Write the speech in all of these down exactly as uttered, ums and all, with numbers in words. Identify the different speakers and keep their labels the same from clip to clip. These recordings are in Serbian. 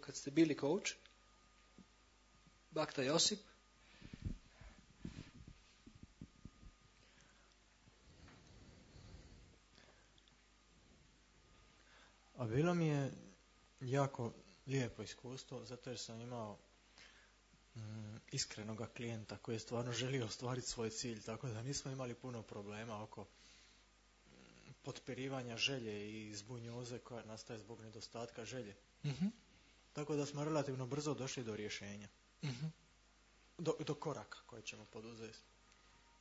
Speaker 1: kad ste bili coach, Bakta Josip.
Speaker 2: A bilo mi je jako lijepo iskustvo, zato jer sam imao mm, iskrenoga klijenta koji je stvarno želio ostvariti svoj cilj, tako da nismo imali puno problema oko mm, potpirivanja želje i zbunjoze koja nastaje zbog nedostatka želje.
Speaker 1: Mm-hmm.
Speaker 2: Tako da smo relativno brzo došli do rješenja.
Speaker 1: Mm-hmm.
Speaker 2: Do, do koraka koje ćemo poduzeti.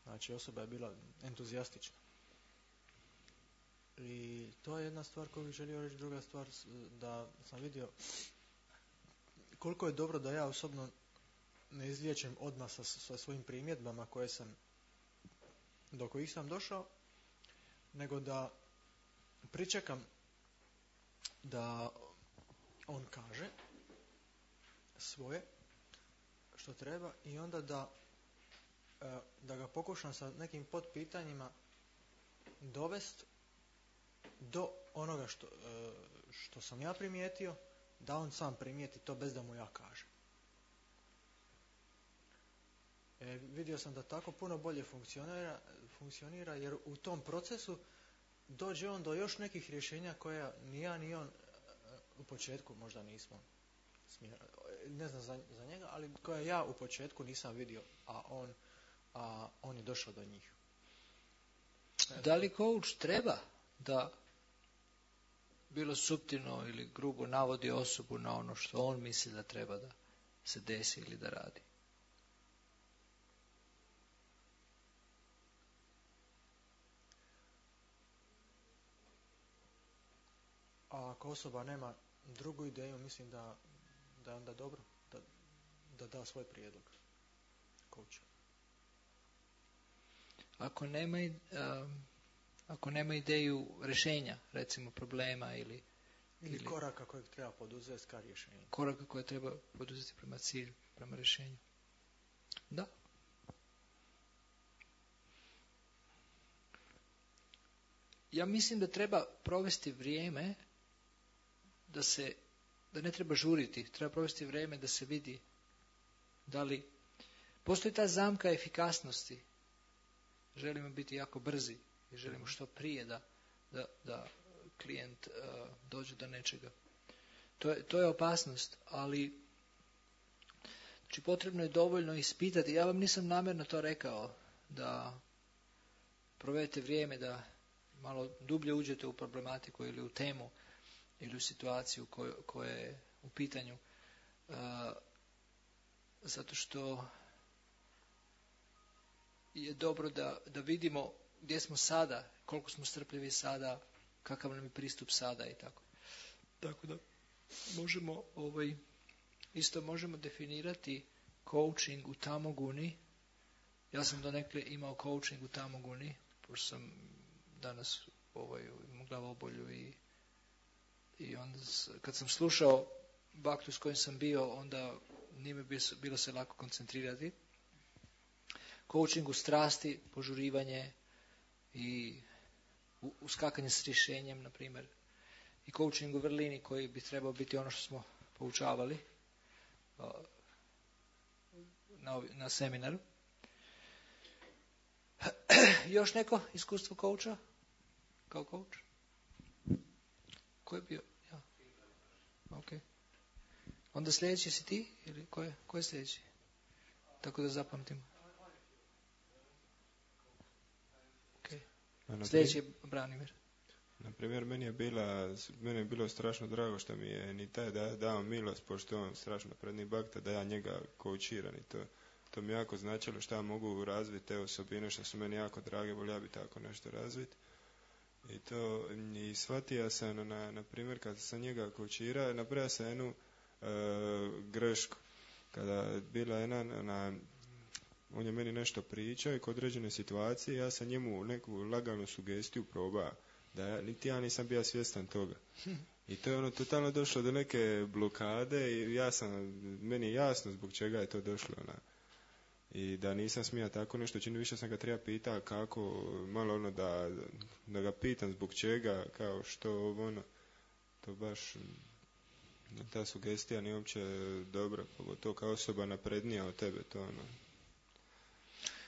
Speaker 2: Znači, osoba je bila entuzijastična. I to je jedna stvar koju bih želio reći. Druga stvar, da sam vidio koliko je dobro da ja osobno ne izliječem odmah sa, sa svojim primjedbama koje sam, do kojih sam došao, nego da pričekam da on kaže svoje što treba i onda da, da ga pokušam sa nekim potpitanjima dovesti do onoga što, što sam ja primijetio, da on sam primijeti to bez da mu ja kažem. E, vidio sam da tako puno bolje funkcionira, funkcionira jer u tom procesu dođe on do još nekih rješenja koja ni ja ni on u početku možda nismo smjeli, ne znam za, za njega, ali koja ja u početku nisam vidio, a on, a on je došao do njih.
Speaker 1: E, da li coach treba da bilo suptilno ili grubo navodi osobu na ono što on misli da treba da se desi ili da radi?
Speaker 2: A ako osoba nema drugu ideju, mislim da, da je onda dobro da, da da svoj prijedlog coachu.
Speaker 1: Ako nema, um, ako nema ideju rješenja, recimo problema ili,
Speaker 2: ili,
Speaker 1: ili
Speaker 2: koraka kojeg treba poduzeti ka rješenju.
Speaker 1: Koraka koje treba poduzeti prema cilju, prema rješenju. Da. Ja mislim da treba provesti vrijeme da se, da ne treba žuriti, treba provesti vrijeme da se vidi da li postoji ta zamka efikasnosti. Želimo biti jako brzi i želimo što prije da, da, da klijent uh, dođe do nečega. To je, to je opasnost, ali znači potrebno je dovoljno ispitati. Ja vam nisam namjerno to rekao, da provedete vrijeme da malo dublje uđete u problematiku ili u temu ili u situaciju koja je u pitanju. Uh, zato što je dobro da, da vidimo gdje smo sada, koliko smo strpljivi sada, kakav nam je pristup sada i tako. Tako da možemo ovaj, isto možemo definirati coaching u Tamoguni. Ja sam donekle imao coaching u Tamoguni, pošto sam danas ovaj, imao glavobolju i i onda kad sam slušao Baktu s kojim sam bio, onda nije mi bilo se lako koncentrirati. Coaching u strasti, požurivanje i uskakanje s rješenjem, na primjer. I coaching u vrlini koji bi trebao biti ono što smo poučavali na, na seminaru. Još neko iskustvo coacha? Kao coach? Ko je bio? Ja. Ok. Onda sljedeći si ti? Ili ko je, ko je sljedeći? Tako da zapamtimo. Ok. Sljedeći je Branimir.
Speaker 3: Na primjer, meni je, bila, meni je bilo strašno drago što mi je ni taj da, dao milost, pošto on strašno predni Bakta, da ja njega koučiram i to, to mi jako značilo što ja mogu razviti te osobine što su meni jako drage, volio ja bi tako nešto razviti. I to, i shvatio sam, na, na primjer, kad sam njega koučirao, napravio sam jednu e, grešku. Kada je bila jedna, na, on je meni nešto pričao i kod određene situacije, ja sam njemu neku laganu sugestiju probao, da ja, niti ja nisam bio svjestan toga. I to je ono totalno došlo do neke blokade i ja sam, meni je jasno zbog čega je to došlo. Na, I da nisam smio tako nešto, čini više sam ga treba pitao kako, malo ono da, da ga pitam zbog čega, kao što ono, to baš Ta sugestija nije uopće dobra, pogotovo kao osoba naprednija od tebe, to ono.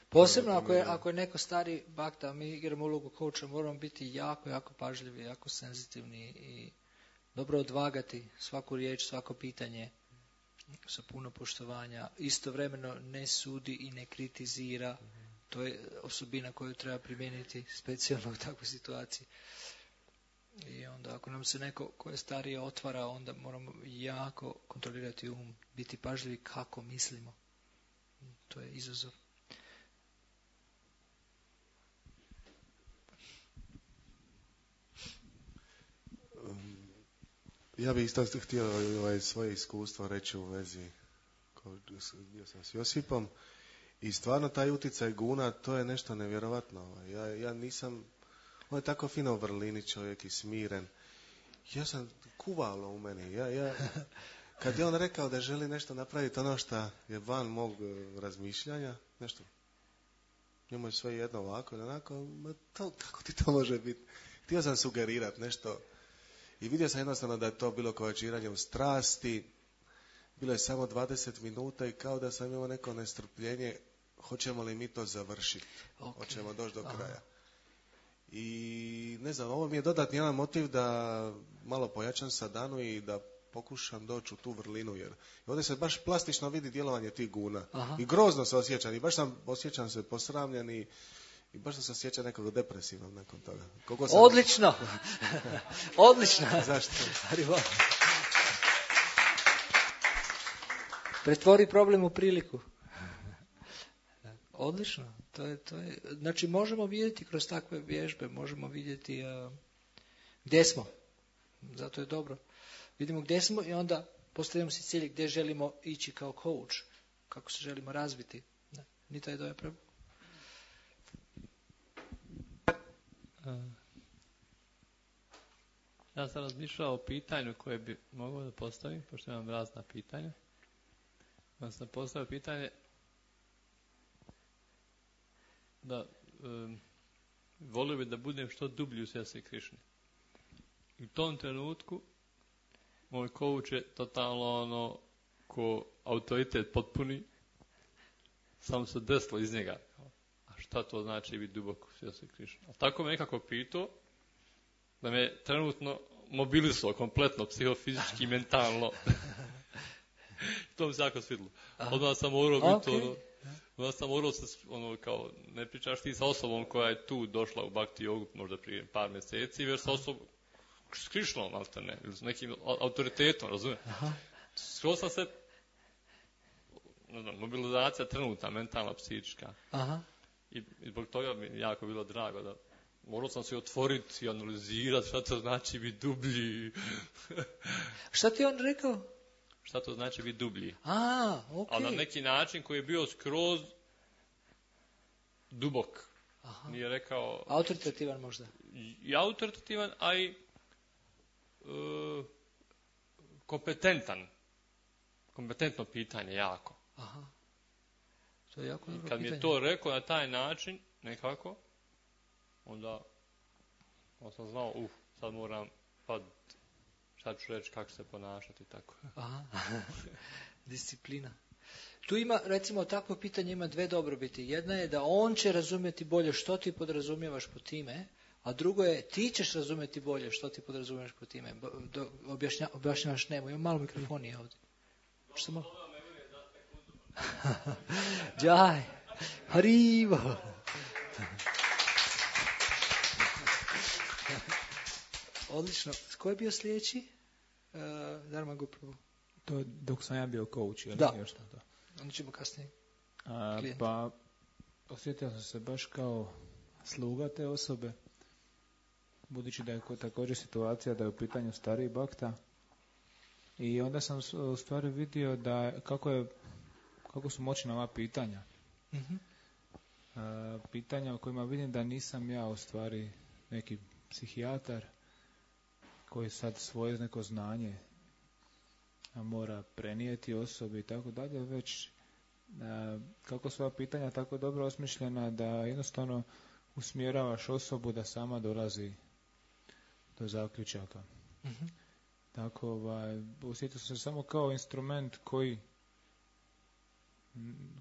Speaker 1: Posebno ako je, ako je neko stari bakta, mi igramo ulogu coacha, moramo biti jako, jako pažljivi, jako senzitivni i dobro odvagati svaku riječ, svako pitanje sa puno poštovanja. Istovremeno ne sudi i ne kritizira. To je osobina koju treba primijeniti specijalno u takvoj situaciji. I onda ako nam se neko ko je starije otvara, onda moramo jako kontrolirati um, biti pažljivi kako mislimo. To je izazov.
Speaker 4: Ja bih isto htio ovaj, svoje iskustvo reći u vezi gdje sam s Josipom. I stvarno taj utjecaj guna, to je nešto nevjerovatno. Ja, ja nisam, on je tako fino u vrlini čovjek i smiren. Ja sam kuvalo u meni. Ja, ja, kad je on rekao da želi nešto napraviti, ono što je van mog razmišljanja, nešto, njemu je sve jedno ovako i onako, ma to, kako ti to može biti? Htio sam sugerirati nešto i vidio sam jednostavno da je to bilo kovačiranje u strasti. Bilo je samo dvadeset minuta i kao da sam imao neko nestrpljenje, hoćemo li mi to završiti, okay. Hoćemo doći do kraja. Aha. I ne znam, ovo mi je dodatni jedan motiv da malo pojačam sadanu i da pokušam doći u tu vrlinu, jer ovdje se baš plastično vidi djelovanje tih guna. Aha. I grozno se osjećam i baš sam osjećam se posramljen i, i baš sam se osjećam nekako depresivno nakon toga. Sam...
Speaker 1: Odlično! Odlično!
Speaker 4: Zašto?
Speaker 1: Pretvori problem u priliku. Odlično. To je, to je, znači možemo vidjeti kroz takve vježbe, možemo vidjeti uh, gdje smo. Zato je dobro. Vidimo gdje smo i onda postavljamo si cilj gdje želimo ići kao coach. Kako se želimo razviti. Da. Nita je doja prvo.
Speaker 5: Ja sam razmišljao o pitanju koje bi mogao da postavim, pošto imam razna pitanja. Ja sam postavio pitanje da um, volio bi da budem što dublji u svijesti Krišne. I u tom trenutku moj coach je totalno ono ko autoritet potpuni, samo se desilo iz njega. A šta to znači biti duboko u svijesti Krišne? A tako me nekako pitao da me trenutno mobilisao kompletno, psihofizički, mentalno. To mi se jako svidilo. Odmah sam morao biti okay. ono, odmah sam morao se, ono, kao, ne pričaš ti sa osobom koja je tu došla u Bhakti jogu možda prije par mjeseci, već sa osobom s Krišnom, alterne, ili s nekim autoritetom, razumijem. Skoro sam se, ne znam, mobilizacija trenutna, mentalna, psihička. Aha. I, I zbog toga mi je jako bilo drago da morao sam se otvoriti i analizirati šta to znači biti dublji.
Speaker 1: Šta ti on rekao?
Speaker 5: Šta to znači biti dublji.
Speaker 1: A, ok.
Speaker 5: Ali na neki način koji je bio skroz dubok. Aha. Nije rekao...
Speaker 1: Autoritativan možda.
Speaker 5: I autoritativan, a i e, kompetentan. Kompetentno pitanje, jako.
Speaker 1: Aha. To je jako dobro
Speaker 5: kad
Speaker 1: pitanje.
Speaker 5: mi je to rekao na taj način, nekako, onda, onda sam znao, uf, sad moram pad, šta ću reći, kako se ponašati, tako.
Speaker 1: Aha, disciplina. Tu ima, recimo, takvo pitanje ima dve dobrobiti. Jedna je da on će razumjeti bolje što ti podrazumijevaš po time, a drugo je ti ćeš razumjeti bolje što ti podrazumijevaš po time. Do, objašnja, objašnjavaš nemo, ima malo mikrofonije ovdje. Što malo? Džaj, harivo. Odlično. Ko je bio sljedeći? Uh, Dharma Gupravo.
Speaker 6: To dok sam ja bio coach, ili
Speaker 1: da.
Speaker 6: Još to?
Speaker 1: Onda ćemo kasnije.
Speaker 6: A, pa, osjetio sam se baš kao sluga te osobe, budući da je također situacija da je u pitanju stariji bakta. I onda sam u stvari vidio da kako je kako su moćna ova pitanja. Mm-hmm. A, pitanja o kojima vidim da nisam ja u stvari neki psihijatar koji sad svoje neko znanje mora prenijeti osobi i tako dalje, već a, kako su ova pitanja tako dobro osmišljena da jednostavno usmjeravaš osobu da sama dolazi do zaključaka. Mm-hmm. Tako, ovaj, osjetio sam se samo kao instrument koji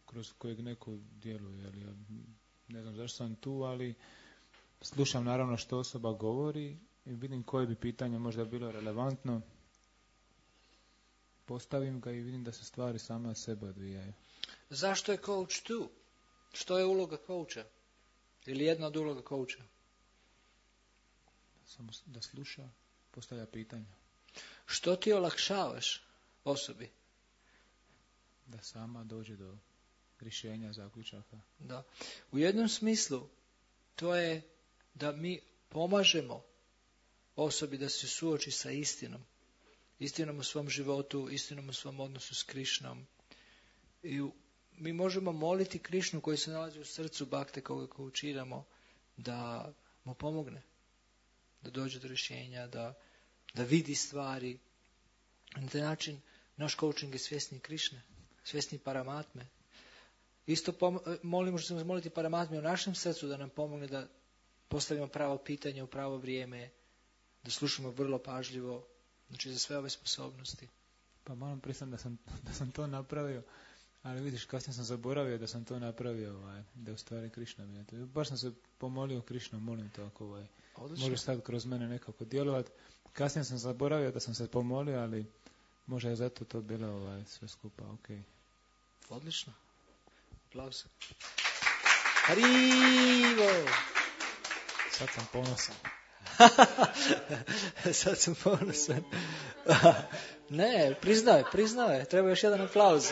Speaker 6: kroz kojeg neko djeluje. Ali, ja ne znam zašto sam tu, ali slušam naravno što osoba govori i vidim koje bi pitanje možda bilo relevantno. Postavim ga i vidim da se stvari same od sebe odvijaju.
Speaker 1: Zašto je coach tu? Što je uloga coacha? Ili jedna od uloga coacha?
Speaker 6: Samo da sluša, postavlja pitanja.
Speaker 1: Što ti olakšavaš osobi?
Speaker 6: Da sama dođe do rješenja, zaključaka.
Speaker 1: Da. U jednom smislu to je da mi pomažemo osobi da se suoči sa istinom. Istinom u svom životu, istinom u svom odnosu s Krišnom. I u, mi možemo moliti Krišnu koji se nalazi u srcu bakte koga koučiramo da mu pomogne. Da dođe do rješenja, da, da vidi stvari. Na taj način naš coaching je svjesni Krišne, svjesni Paramatme. Isto pom- molimo što ćemo moliti Paramatme u našem srcu da nam pomogne da postavimo pravo pitanje u pravo vrijeme, da slušamo vrlo pažljivo, znači za sve ove sposobnosti.
Speaker 6: Pa moram priznati da sam, da sam to napravio, ali vidiš, kasnije sam zaboravio da sam to napravio, ovaj, da je u stvari Krišna mi je to. Baš sam se pomolio Krišnom, molim to ako ovaj, može sad kroz mene nekako djelovati. Kasnije sam zaboravio da sam se pomolio, ali možda je zato to bilo ovaj, sve skupa, ok.
Speaker 1: Odlično. Aplauz. Harivo!
Speaker 6: Sad sam ponosan.
Speaker 1: Sad sam ponosan. Ne, priznao je, priznao je. Treba još jedan aplauz.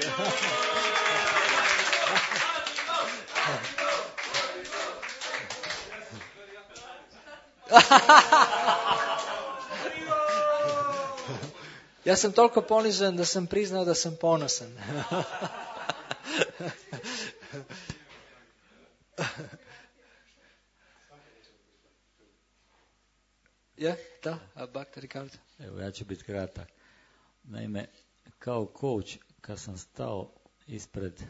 Speaker 1: Ja sam toliko ponižen da sam priznao da sam ponosan. Ja, da, a Bakta Ricardo.
Speaker 7: Evo, ja ću biti kratak. Naime, kao coach, kad sam stao ispred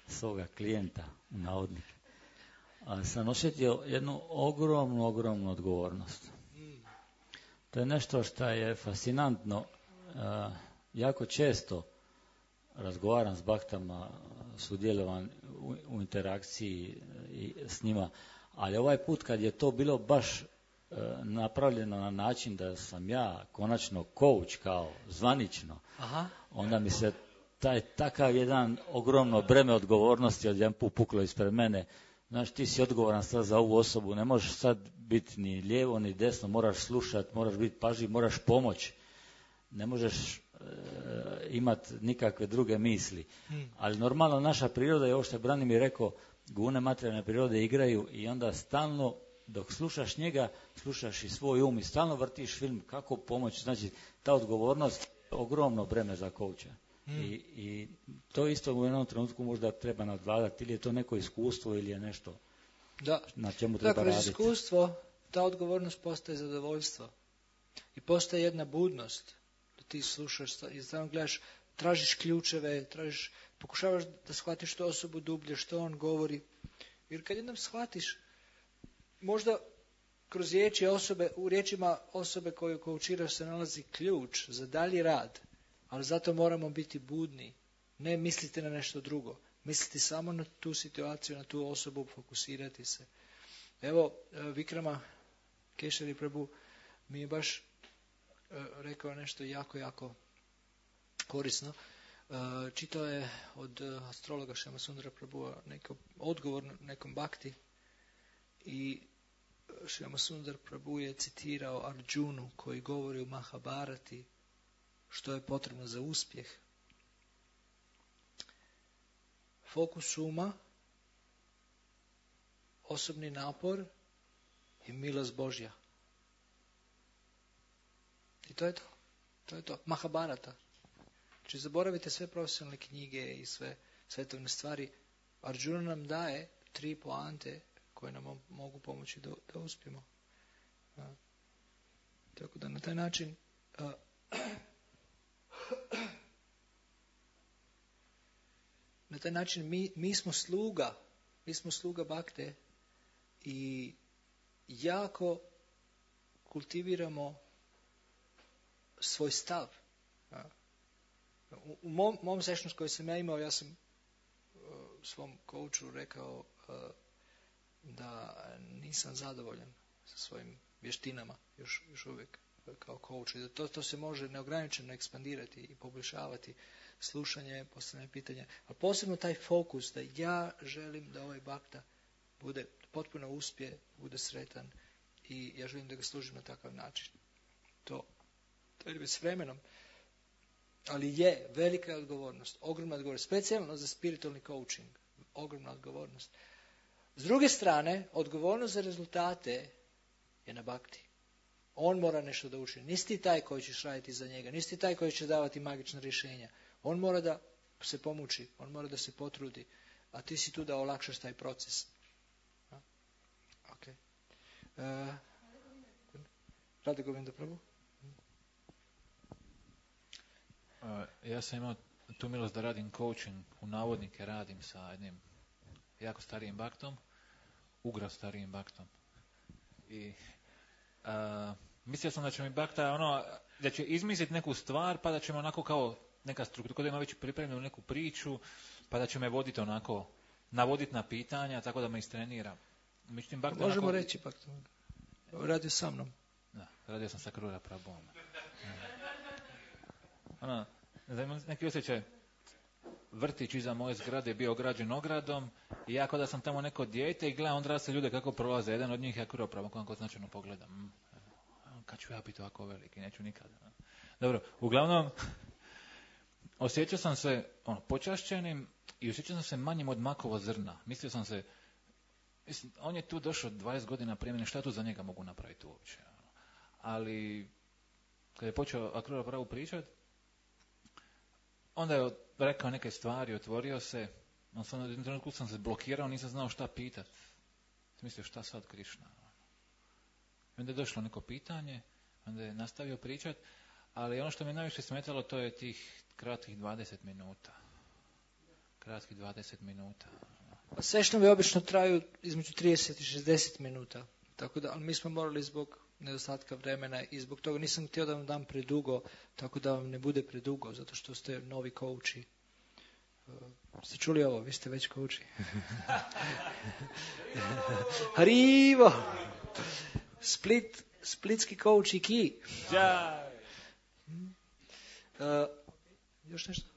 Speaker 7: svoga klijenta, u navodnik, sam osjetio jednu ogromnu, ogromnu odgovornost. To je nešto što je fascinantno. Jako često razgovaram s baktama, sudjelovan u, u interakciji i s njima, ali ovaj put kad je to bilo baš napravljeno na način da sam ja konačno coach kao zvanično, aha, onda mi se taj takav jedan ogromno breme odgovornosti odjedanput puklo ispred mene. Znaš, ti si odgovoran sad za ovu osobu, ne možeš sad biti ni lijevo ni desno, moraš slušati, moraš biti pažljiv, moraš pomoći. Ne možeš e, imati nikakve druge misli. Hmm. Ali normalno naša priroda je ovo što je Branimir rekao, gune materijalne prirode igraju i onda stalno dok slušaš njega, slušaš i svoj um i stalno vrtiš film kako pomoći. Znači, ta odgovornost je ogromno breme za kouča. Hmm. I, I to isto u jednom trenutku možda treba nadvladati, ili je to neko iskustvo ili je nešto
Speaker 1: da.
Speaker 7: Na čemu treba
Speaker 1: da,
Speaker 7: raditi.
Speaker 1: Kroz iskustvo ta odgovornost postaje zadovoljstvo. I postaje jedna budnost. Da ti slušaš i stalno gledaš, tražiš ključeve, tražiš, pokušavaš da shvatiš što osobu dublje, što on govori. Jer kad jednom shvatiš, možda kroz riječi osobe, u riječima osobe koju koučiraš se nalazi ključ za dalji rad, ali zato moramo biti budni. Ne misliti na nešto drugo. Misliti samo na tu situaciju, na tu osobu, fokusirati se. Evo, Vikrama Kešari Prabhu mi je baš rekao nešto jako, jako korisno. Čitao je od astrologa Šama Sundara Prabhua neko odgovor nekom bakti i Šama Sundar Prabhu je citirao Arjunu koji govori u Mahabharati što je potrebno za uspjeh. Fokus uma, osobni napor i milost Božja. I to je to. To je to. Mahabharata. Znači zaboravite sve profesionalne knjige i sve svetovne stvari. Arjuna nam daje tri poante koje nam mogu pomoći da, da uspijemo. A, tako da na taj način a, na taj način mi, mi smo sluga, mi smo sluga bakte i jako kultiviramo svoj stav. U, u mom, mom sessionu koji sam ja imao, ja sam uh, svom coachu rekao uh, da nisam zadovoljan sa svojim vještinama još, još uvijek kao coach. I da to, to se može neograničeno ekspandirati i poboljšavati slušanje, postavljanje pitanja, a posebno taj fokus da ja želim da ovaj bakta bude potpuno uspije, bude sretan i ja želim da ga služim na takav način. To, to je s vremenom. Ali je velika odgovornost, ogromna odgovornost, specijalno za spiritualni coaching, ogromna odgovornost. S druge strane, odgovornost za rezultate je na bakti. On mora nešto da učini. Nisi ti taj koji ćeš raditi za njega, nisi ti taj koji će davati magična rješenja. On mora da se pomuči, on mora da se potrudi, a ti si tu da olakšaš taj proces. Okay. Uh, Rade Govinda Prabhu?
Speaker 8: Uh, ja sam imao tu milost da radim coaching, u navodnike radim sa jednim jako starijim baktom, ugra starijim baktom. I uh, mislio sam da će mi bakta ono, da će izmisliti neku stvar, pa da ćemo onako kao neka struktura, da ima već pripremljenu neku priču, pa da će me voditi onako, navoditi na pitanja, tako da me istrenira. Međutim, bakta
Speaker 1: možemo
Speaker 8: onako,
Speaker 1: reći, bakta, radio sa mnom.
Speaker 8: Da, radio sam sa Krura Prabhom. Ono, neki osjećaj, vrtić iza moje zgrade je bio ograđen ogradom i ja kao da sam tamo neko dijete i gledam odrasle ljude kako prolaze. Jedan od njih je Krura Prabhom, kako značajno pogledam. Kad ću ja biti ovako veliki, neću nikada. Dobro, uglavnom, osjećao sam se ono, počašćenim i osjećao sam se manjim od makova zrna. Mislio sam se, mislim, on je tu došao dvadeset godina prije mene, šta tu za njega mogu napraviti uopće? Ali, kad je počeo Akrura Prabhu pričati, onda je rekao neke stvari, otvorio se, on sam, u jednom trenutku sam se blokirao, nisam znao šta pitati. Mislio, šta sad Krišna? Onda je došlo neko pitanje, onda je nastavio pričati, ali ono što mi najviše smetalo, to je tih kratkih dvadeset minuta. Kratkih dvadeset minuta.
Speaker 1: Sešnovi obično traju između trideset i šezdeset minuta, tako da, ali mi smo morali zbog nedostatka vremena i zbog toga nisam htio da vam dam predugo, tako da vam ne bude predugo, zato što ste novi kouči. Uh, ste čuli ovo? Vi ste već kouči. Harivo! Split, splitski kouči ki. Uh, još nešto?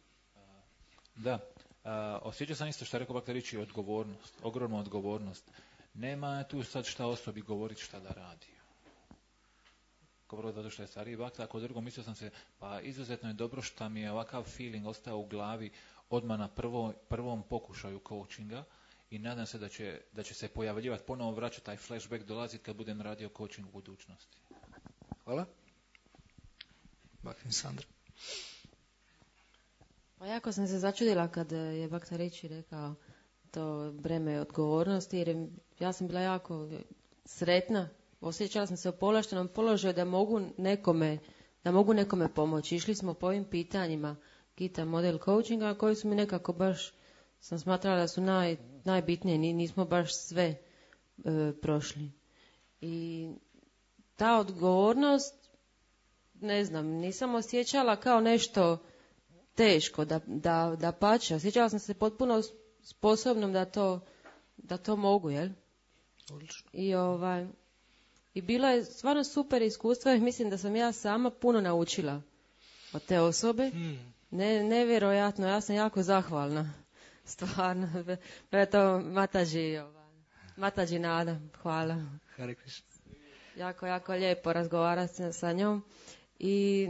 Speaker 8: Da. Uh, osjećao sam isto što je rekao Bakterići, odgovornost, ogromna odgovornost. Nema tu sad šta osobi govoriti šta da radi. Kao prvo zato što je stariji bakta, ako drugo mislio sam se, pa izuzetno je dobro što mi je ovakav feeling ostao u glavi odmah na prvo, prvom pokušaju coachinga i nadam se da će, da će se pojavljivati, ponovo vraćati taj flashback, dolaziti kad budem radio coaching u budućnosti.
Speaker 1: Hvala. Baktin Sandra.
Speaker 9: Pa jako sam se začudila kad je Baktarići rekao to breme odgovornosti, jer ja sam bila jako sretna, osjećala sam se u povlaštenom položaju da mogu nekome, da mogu nekome pomoći. Išli smo po ovim pitanjima Gita model coachinga koji su mi nekako baš, sam smatrala da su naj, najbitnije, nismo baš sve e, prošli. I ta odgovornost, ne znam, nisam osjećala kao nešto teško, da, da, da pače. Osjećala sam se potpuno sposobnom da to, da to mogu, jel?
Speaker 1: Odlično.
Speaker 9: I ovaj, i bilo je stvarno super iskustvo i mislim da sam ja sama puno naučila od te osobe. Hmm. Ne, nevjerojatno, ja sam jako zahvalna. Stvarno. Pre to Mataji, ovaj, Mataji Nada, hvala.
Speaker 1: Hare Krishna.
Speaker 9: Jako, jako lijepo razgovarati sa njom. I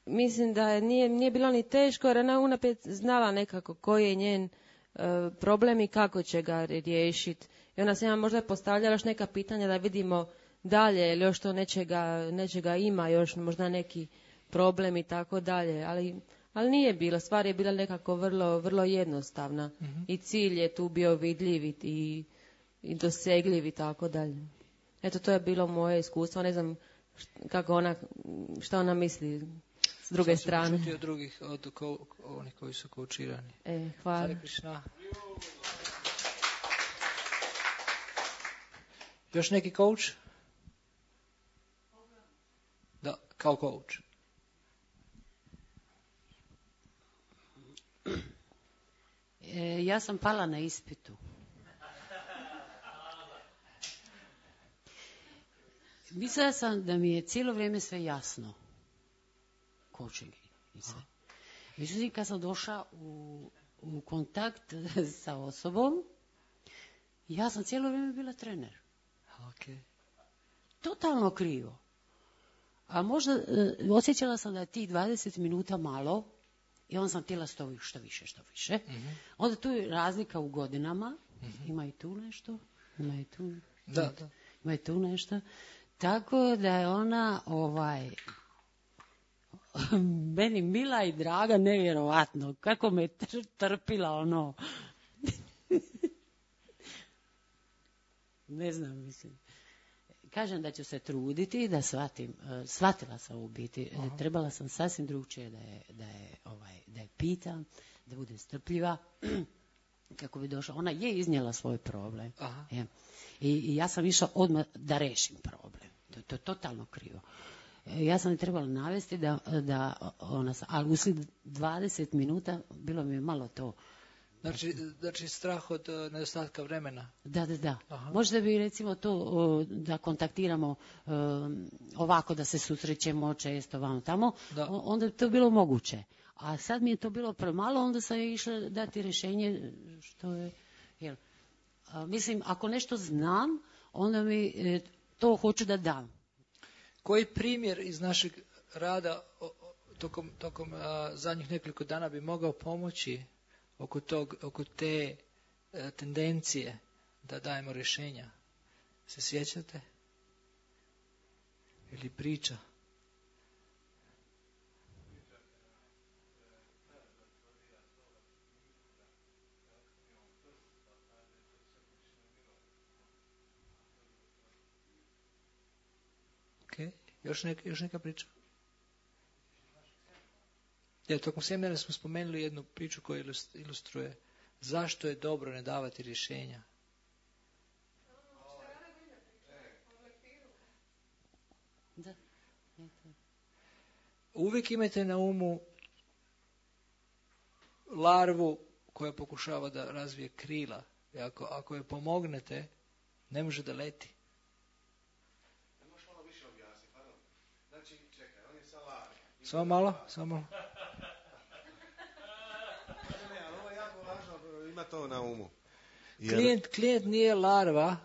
Speaker 9: mislim da je, nije, nije bilo ni teško jer ona unaprijed znala nekako koji je njen uh, problem i kako će ga riješiti. I ona se ja možda postavljala još neka pitanja da vidimo dalje ili još to nečega, nečega ima, još možda neki problem i tako dalje. Ali, ali nije bilo, stvar je bila nekako vrlo, vrlo jednostavna. Mm-hmm. I cilj je tu bio vidljiv i, i dosegljiv i tako dalje. Eto, to je bilo moje iskustvo. Ne znam kako ona, šta ona misli s druge strane.
Speaker 1: Čuti od drugih, od ko, onih koji su koučirani.
Speaker 9: E, hvala.
Speaker 1: Hare Krishna. Još neki coach? Da, kao coach.
Speaker 10: ja sam pala na ispitu. Mislila sam da mi je cijelo vrijeme sve jasno. Coaching i sve. Međutim, kad sam došla u, u kontakt sa osobom, ja sam cijelo vrijeme bila trener.
Speaker 1: Okay.
Speaker 10: Totalno krivo. A možda e, osjećala sam da je tih dvadeset minuta malo i onda sam htjela što, što više, što više. Mm-hmm. Onda tu je razlika u godinama. Mm-hmm. Ima i tu nešto. Ima i tu,
Speaker 1: da, da.
Speaker 10: Ima i tu nešto. Tako da je ona ovaj meni mila i draga, nevjerovatno. Kako me trpila ono. Ne znam, mislim. Kažem da ću se truditi da shvatim, shvatila sam u biti, uh-huh. trebala sam sasvim drugčije da je, da je, ovaj, da je pitam, da bude strpljiva, kako bi došla. Ona je iznijela svoj problem. Uh-huh. Je. I, I ja sam išla odmah da rešim problem. To, to je totalno krivo. Ja sam je trebala navesti da, da ona, ali uslijed dvadeset minuta bilo mi je malo to.
Speaker 1: Znači, znači strah od uh, nedostatka vremena.
Speaker 10: Da, da, da. Aha. Možda bi recimo to uh, da kontaktiramo uh, ovako, da se susrećemo često vamo tamo, da. Onda bi to bilo moguće. A sad mi je to bilo premalo, onda sam je išla dati rješenje što je, jel, a, mislim, ako nešto znam, onda mi e, to hoću da dam.
Speaker 1: Koji primjer iz našeg rada o, tokom, tokom a, zadnjih nekoliko dana bi mogao pomoći oko, tog, oko te a, tendencije da dajemo rješenja? Se sjećate? Ili priča? Okay. Još, neka, još neka priča? Ja, tokom seminara smo spomenuli jednu priču koja ilustruje zašto je dobro ne davati rješenja.
Speaker 10: Da.
Speaker 1: Uvijek imajte na umu larvu koja pokušava da razvije krila. I ako, ako je pomognete, ne može da leti. Samo malo, samo malo.
Speaker 4: Ne, ali ovo je jako važno, ima to na umu.
Speaker 1: Jer... Klijent, klijent nije larva,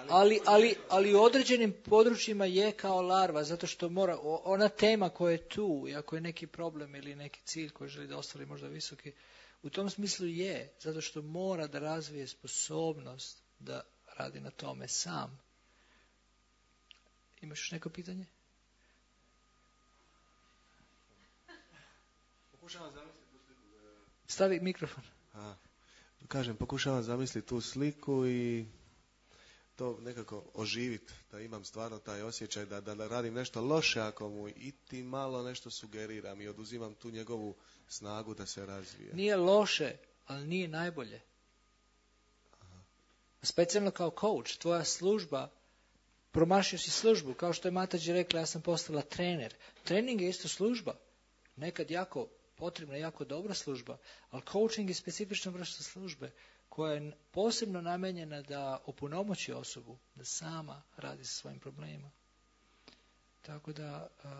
Speaker 1: ali, ali, ali u određenim područjima je kao larva, zato što mora, ona tema koja je tu, i ako je neki problem ili neki cilj koji želi da ostvari možda visoki, u tom smislu je, zato što mora da razvije sposobnost da radi na tome sam. Imaš još neko pitanje?
Speaker 4: Pokušavam zamisliti tu sliku.
Speaker 1: Stavi mikrofon.
Speaker 4: A, kažem, pokušavam zamisliti tu sliku i to nekako oživiti, da imam stvarno taj osjećaj da, da, da radim nešto loše ako mu i ti malo nešto sugeriram i oduzimam tu njegovu snagu da se razvije.
Speaker 1: Nije loše, ali nije najbolje. Aha. Specijalno kao coach, tvoja služba, promašio si službu, kao što je Matađi rekla, ja sam postala trener. Trening je isto služba, nekad jako potrebna, jako dobra služba, ali coaching je specifična vrsta službe koja je posebno namenjena da opunomoći osobu, da sama radi sa svojim problemima. Tako da, uh,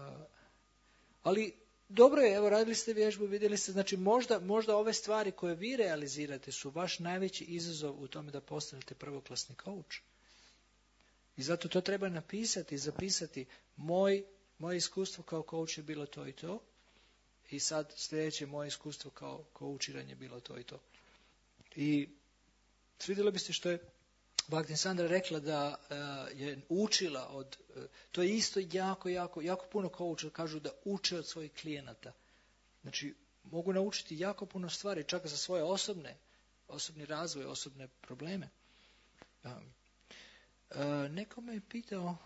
Speaker 1: ali dobro je, evo radili ste vježbu, vidjeli ste, znači možda, možda ove stvari koje vi realizirate su vaš najveći izazov u tome da postanete prvoklasni coach. I zato to treba napisati, zapisati. Moj, moje iskustvo kao coach je bilo to i to. I sad sljedeće moje iskustvo kao coachiranje je bilo to i to. I svidjelo bi se što je Bhakti Sandra rekla da uh, je učila od, uh, to je isto jako, jako, jako puno coacha kažu da uče od svojih klijenata. Znači, mogu naučiti jako puno stvari, čak za svoje osobne, osobni razvoj, osobne probleme. Um, uh, neko me je pitao,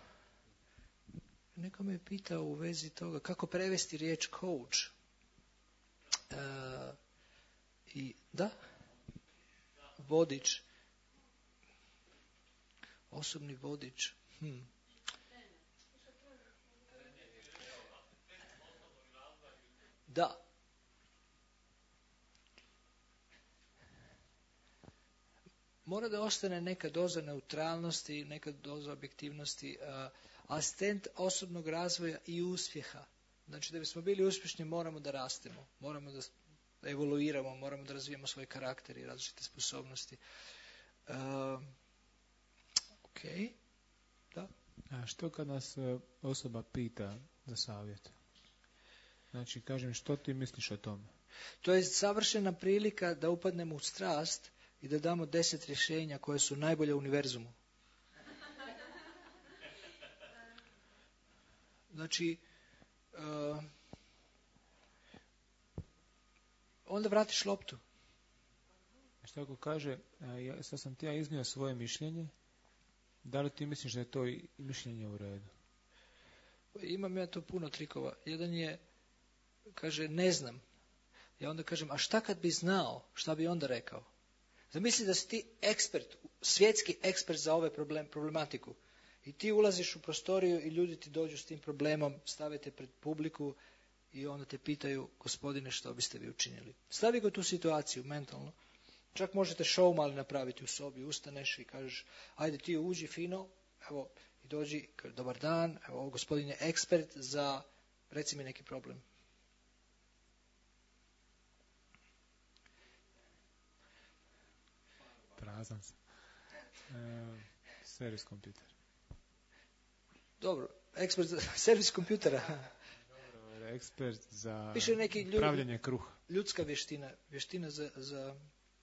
Speaker 1: neko me je pitao u vezi toga kako prevesti riječ coach. Uh, I da, vodič, osobni vodič. Hm. Da. mora da ostane neka doza neutralnosti, neka doza objektivnosti, a, asistent osobnog razvoja i uspjeha. Znači, da bismo bili uspješni, moramo da rastemo, moramo da evoluiramo, moramo da razvijemo svoj karakter i različite sposobnosti. Uh, ok, da.
Speaker 6: A što kad nas e, osoba pita za savjet? Znači, kažem, što ti misliš o tome?
Speaker 1: To je savršena prilika da upadnemo u strast i da damo deset rješenja koje su najbolje u univerzumu. Znači, uh, onda vratiš loptu.
Speaker 6: Što ako kaže, a, ja, sad sam ti ja iznio svoje mišljenje, da li ti misliš da je to i mišljenje u redu?
Speaker 1: Imam ja tu puno trikova. Jedan je, kaže, ne znam. Ja onda kažem, a šta kad bi znao, šta bi onda rekao? Zamisli da si ti ekspert, svjetski ekspert za ove problem, problematiku. I ti ulaziš u prostoriju i ljudi ti dođu s tim problemom, stavite pred publiku i onda te pitaju, gospodine, što biste vi učinili? Stavi ga u tu situaciju mentalno. Čak možete show mali napraviti u sobi, ustaneš i kažeš, ajde ti uđi fino, evo, i dođi, dobar dan, evo, gospodin je ekspert za, reci mi neki problem.
Speaker 6: Prazan sam. E, servis kompjuter.
Speaker 1: Dobro, ekspert za servis kompjutera.
Speaker 6: Dobro, ekspert za
Speaker 1: Piše neki ljudi,
Speaker 6: pravljenje kruha.
Speaker 1: Ljudska vještina, vještina za, za,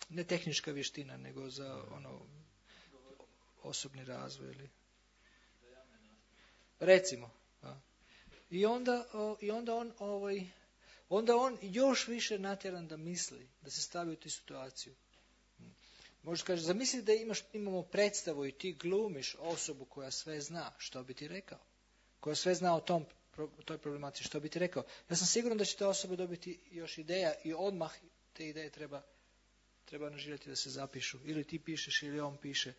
Speaker 1: ne tehnička vještina, nego za ono, osobni razvoj. Ili... Recimo. A. I onda, o, i onda on, ovaj, onda on još više natjeran da misli, da se stavi u tu situaciju. Možeš kaže, zamisli da imaš, imamo predstavu i ti glumiš osobu koja sve zna, što bi ti rekao? Koja sve zna o tom, toj problematici, što bi ti rekao? Ja sam siguran da će ta osoba dobiti još ideja i odmah te ideje treba, treba angažirati da se zapišu. Ili ti pišeš ili on piše.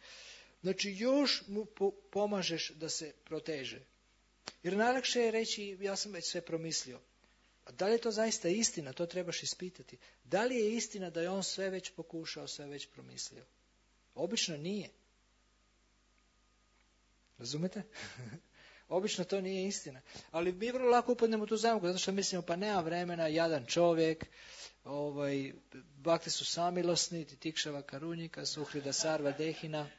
Speaker 1: Znači još mu po, pomažeš da se proteže. Jer najlakše je reći, ja sam već sve promislio. A da li je to zaista istina? To trebaš ispitati. Da li je istina da je on sve već pokušao, sve već promislio? Obično nije. Razumete? Obično to nije istina. Ali mi vrlo lako upadnemo u tu zamku, zato što mislimo, pa nema vremena, jadan čovjek, ovaj, bakte su samilosni, titikšava karunjika, suhrida sarva dehina,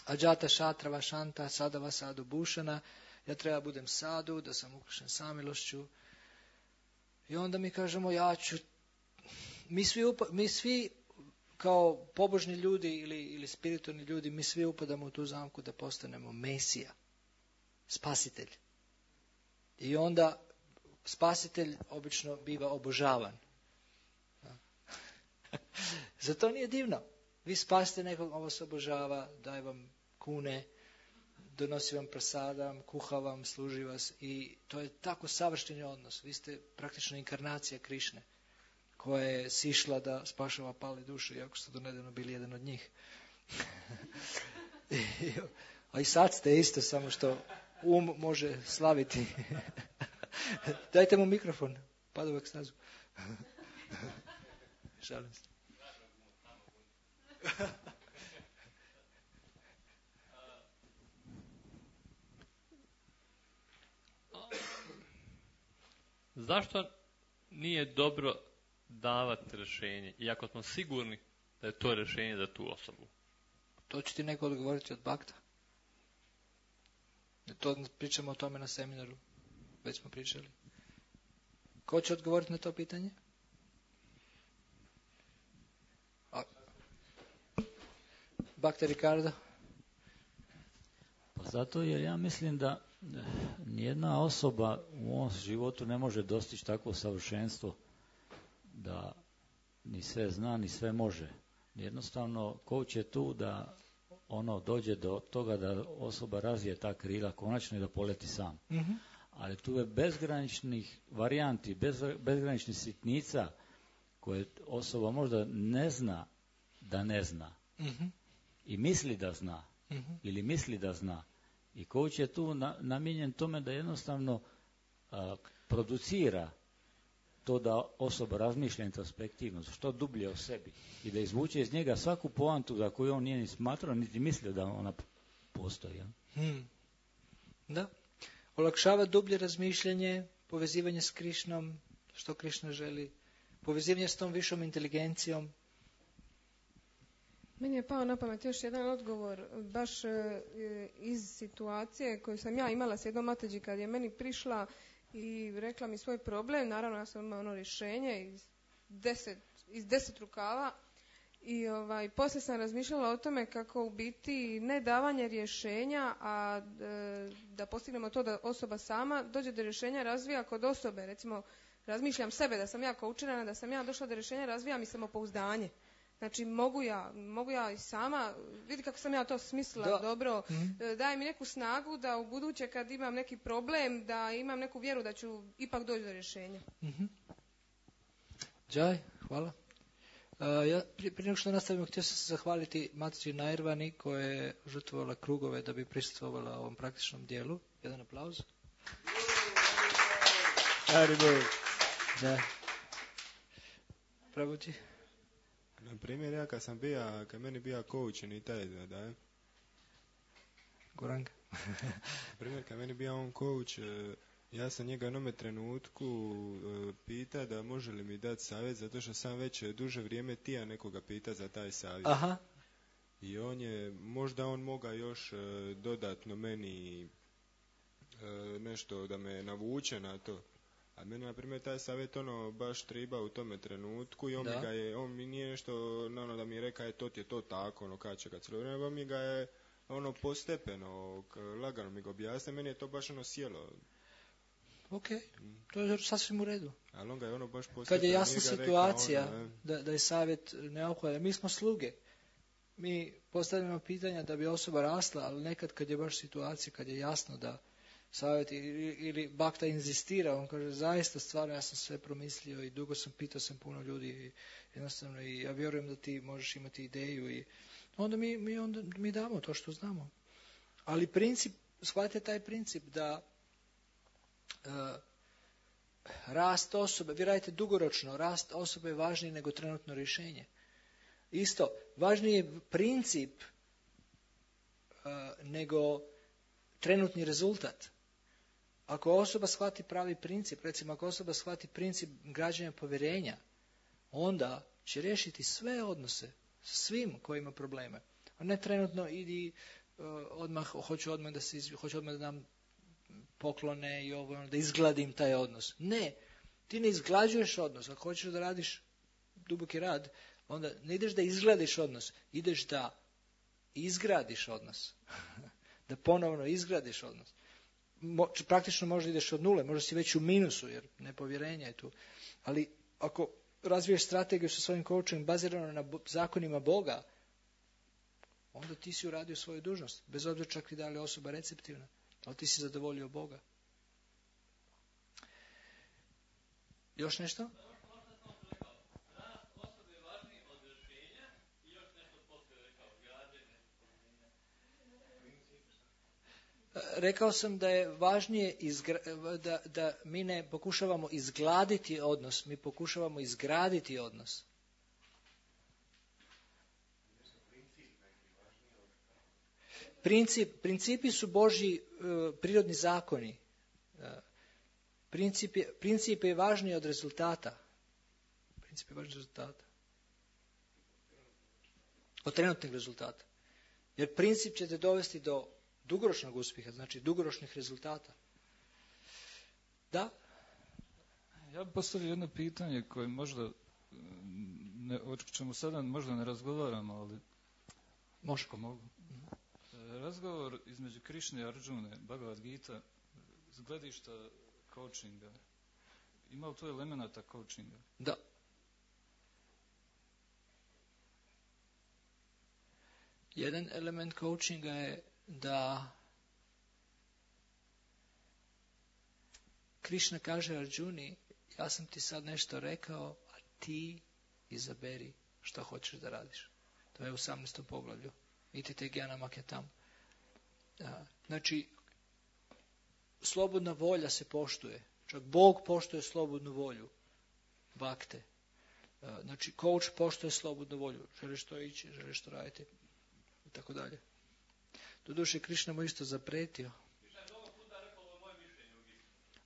Speaker 1: ađata šatrava šanta, sadava sadu bušana, ja treba budem sadu, da sam ukrašen samilošću. I onda mi kažemo, ja ću, mi svi, upa, mi svi kao pobožni ljudi ili, ili spiritualni ljudi, mi svi upadamo u tu zamku da postanemo Mesija, spasitelj. I onda spasitelj obično biva obožavan. Zato nije divno. Vi spasite nekog, ovo se obožava, daje vam kune, donosi vam prasada, kuha vam, služi vas i to je tako savršeni odnos. Vi ste praktično inkarnacija Krišne koja je sišla da spašava pale duše, iako ste do nedavno bili jedan od njih. A i sad ste isto, samo što um može slaviti. Dajte mu mikrofon, pada u ekstazu. Šalim se.
Speaker 5: Zašto nije dobro davati rješenje, iako smo sigurni da je to rješenje za tu osobu?
Speaker 1: To će ti neko odgovoriti od bakta. To pričamo o tome na seminaru. Već smo pričali. Ko će odgovoriti na to pitanje? A... Bakta Ricardo?
Speaker 7: Pa zato jer ja mislim da nijedna osoba u ovom životu ne može dostići takvo savršenstvo da ni sve zna, ni sve može. Jednostavno, coach je tu da ono dođe do toga da osoba razvije ta krila konačno i da poleti sam.
Speaker 1: Mm-hmm.
Speaker 7: Ali tu je bezgraničnih varijanti, bez, bezgraničnih sitnica koje osoba možda ne zna da ne zna.
Speaker 1: Mm-hmm.
Speaker 7: I misli da zna.
Speaker 1: Mm-hmm. Ili
Speaker 7: misli da zna. I coach je tu na, namijenjen tome da jednostavno a, producira to da osoba razmišlja introspektivno, što dublje o sebi i da izvuče iz njega svaku poantu za koju on nije ni smatrao, niti mislio da ona postoji. Ja?
Speaker 1: Hmm. Da. Olakšava dublje razmišljanje, povezivanje s Krišnom, što Krišna želi, povezivanje s tom višom inteligencijom.
Speaker 11: Meni je pao na pamet još jedan odgovor, baš e, iz situacije koju sam ja imala s jednom Matađi kad je meni prišla i rekla mi svoj problem. Naravno, ja sam imala ono rješenje iz deset, iz deset rukava i ovaj, poslije sam razmišljala o tome kako u biti ne davanje rješenja, a e, da postignemo to da osoba sama dođe do rješenja, razvija kod osobe. Recimo, razmišljam sebe da sam ja koučirana, da sam ja došla do rješenja, razvija mi samopouzdanje. Znači, mogu ja, mogu ja i sama, vidi kako sam ja to smislila
Speaker 1: da.
Speaker 11: dobro,
Speaker 1: Mm-hmm.
Speaker 11: daje mi neku snagu da u buduće kad imam neki problem, da imam neku vjeru da ću ipak doći do rješenja.
Speaker 1: Mm-hmm. Džaj, hvala. Uh, ja, prije, prije nego što nastavimo, htio sam se zahvaliti Matađi Nairvani koja je žrtvovala krugove da bi prisustvovala ovom praktičnom dijelu. Jedan aplauz. Da. Pravođi.
Speaker 3: Na primjer, ja kad sam bija, kad meni bija coach i taj da, da
Speaker 1: Goranga.
Speaker 3: na primjer, kad meni bija on coach, ja sam njega u jednome trenutku pita da može li mi dati savjet, zato što sam već duže vrijeme tija nekoga pita za taj savjet.
Speaker 1: Aha.
Speaker 3: I on je, možda on moga još dodatno meni nešto da me navuče na to. A meni, na primjer, taj savjet ono baš triba u tome trenutku i on
Speaker 1: da.
Speaker 3: mi ga je, on mi nije nešto, ono da mi je reka je to ti je to tako, ono kad će kad cijelo vrijeme, on mi ga je ono postepeno, lagano mi ga objasne, meni je to baš ono sjelo.
Speaker 1: Ok, to je sasvim u redu.
Speaker 3: Ali on ga je ono baš postepeno.
Speaker 1: Kad je jasna situacija
Speaker 3: reka, ono,
Speaker 1: da, da je savjet neophodan, mi smo sluge. Mi postavljamo pitanja da bi osoba rasla, ali nekad kad je baš situacija, kad je jasno da savjet ili, ili Bhakta inzistira, on kaže zaista stvarno ja sam sve promislio i dugo sam pitao sam puno ljudi i jednostavno i ja vjerujem da ti možeš imati ideju i onda mi, mi, onda mi damo to što znamo. Ali princip, shvatite taj princip da uh, rast osobe, vi radite dugoročno, rast osobe je važniji nego trenutno rješenje. Isto, važniji je princip uh, nego trenutni rezultat. Ako osoba shvati pravi princip, recimo ako osoba shvati princip građenja povjerenja, onda će riješiti sve odnose sa svim koji ima probleme. A ne trenutno idi uh, odmah, hoću odmah da se izvi, hoću odmah da dam poklone i ovo, da izgladim taj odnos. Ne, ti ne izglađuješ odnos. Ako hoćeš da radiš duboki rad, onda ne ideš da izgladiš odnos, ideš da izgradiš odnos. Da ponovno izgradiš odnos. Mo, praktično možda ideš od nule, možda si već u minusu, jer nepovjerenje je tu. Ali ako razviješ strategiju sa svojim coachom bazirano na bo, zakonima Boga, onda ti si uradio svoju dužnost. Bez obzira čak i da li je osoba receptivna. Ali ti si zadovoljio Boga. Još nešto? Rekao sam da je važnije izgra, da, da mi ne pokušavamo izgladiti odnos, mi pokušavamo izgraditi odnos. Princip, principi su Božji uh, prirodni zakoni. Uh, princip, je, princip je važniji od rezultata. Princip je važniji od rezultata. Od trenutnih rezultata. Jer princip će te dovesti do dugoročnog uspjeha, znači dugoročnih rezultata. Da?
Speaker 12: Ja bih postavio jedno pitanje koje možda, ne, o čemu sada možda ne razgovaramo, ali
Speaker 1: može.
Speaker 12: Ako mogu. Razgovor između Krišne i Arjune, Bhagavad Gita, s gledišta coachinga, ima li to elemenata coachinga?
Speaker 1: Da. Jedan element coachinga je da Krišna kaže Arjuni, ja sam ti sad nešto rekao, a ti izaberi što hoćeš da radiš. To je u osamnaestom poglavlju. Itite Gyanam Akyatam. Znači, slobodna volja se poštuje. Čak Bog poštuje slobodnu volju. bakte. Znači, coach poštuje slobodnu volju. Želiš to ići, želiš to raditi i tako dalje. Doduše, Krišna mu isto zapretio.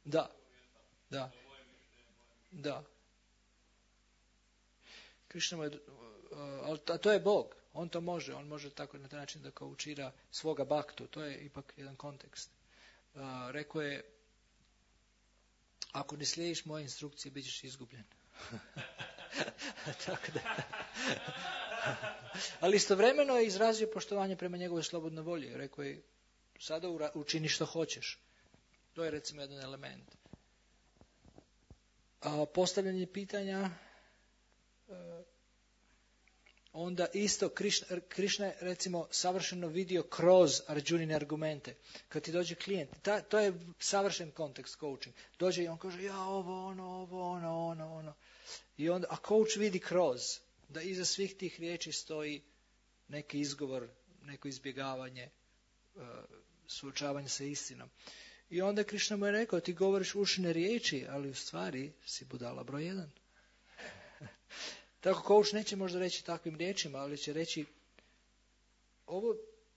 Speaker 1: Da, da, da. Krišna mu je, a to je Bog. On to može. On može tako na taj način da coachira svoga baktu. To je ipak jedan kontekst. Rekao je, ako ne slijediš moje instrukcije, bit ćeš izgubljen. Tako da. Ali istovremeno je izrazio poštovanje prema njegovoj slobodnoj volji. Rekao je, sada učini što hoćeš. To je recimo jedan element. A postavljanje pitanja, onda isto Krišna, Krišna je recimo savršeno vidio kroz Arjunine argumente. Kad ti dođe klijent, ta, to je savršen kontekst coaching. Dođe i on kaže, ja ovo, ono, ovo, ono, ono, ono. I onda, a coach vidi kroz, da iza svih tih riječi stoji neki izgovor, neko izbjegavanje, suočavanje sa istinom. I onda Krišna mu je rekao, ti govoriš ušne riječi, ali u stvari si budala broj jedan. Tako coach neće možda reći takvim riječima, ali će reći, ovo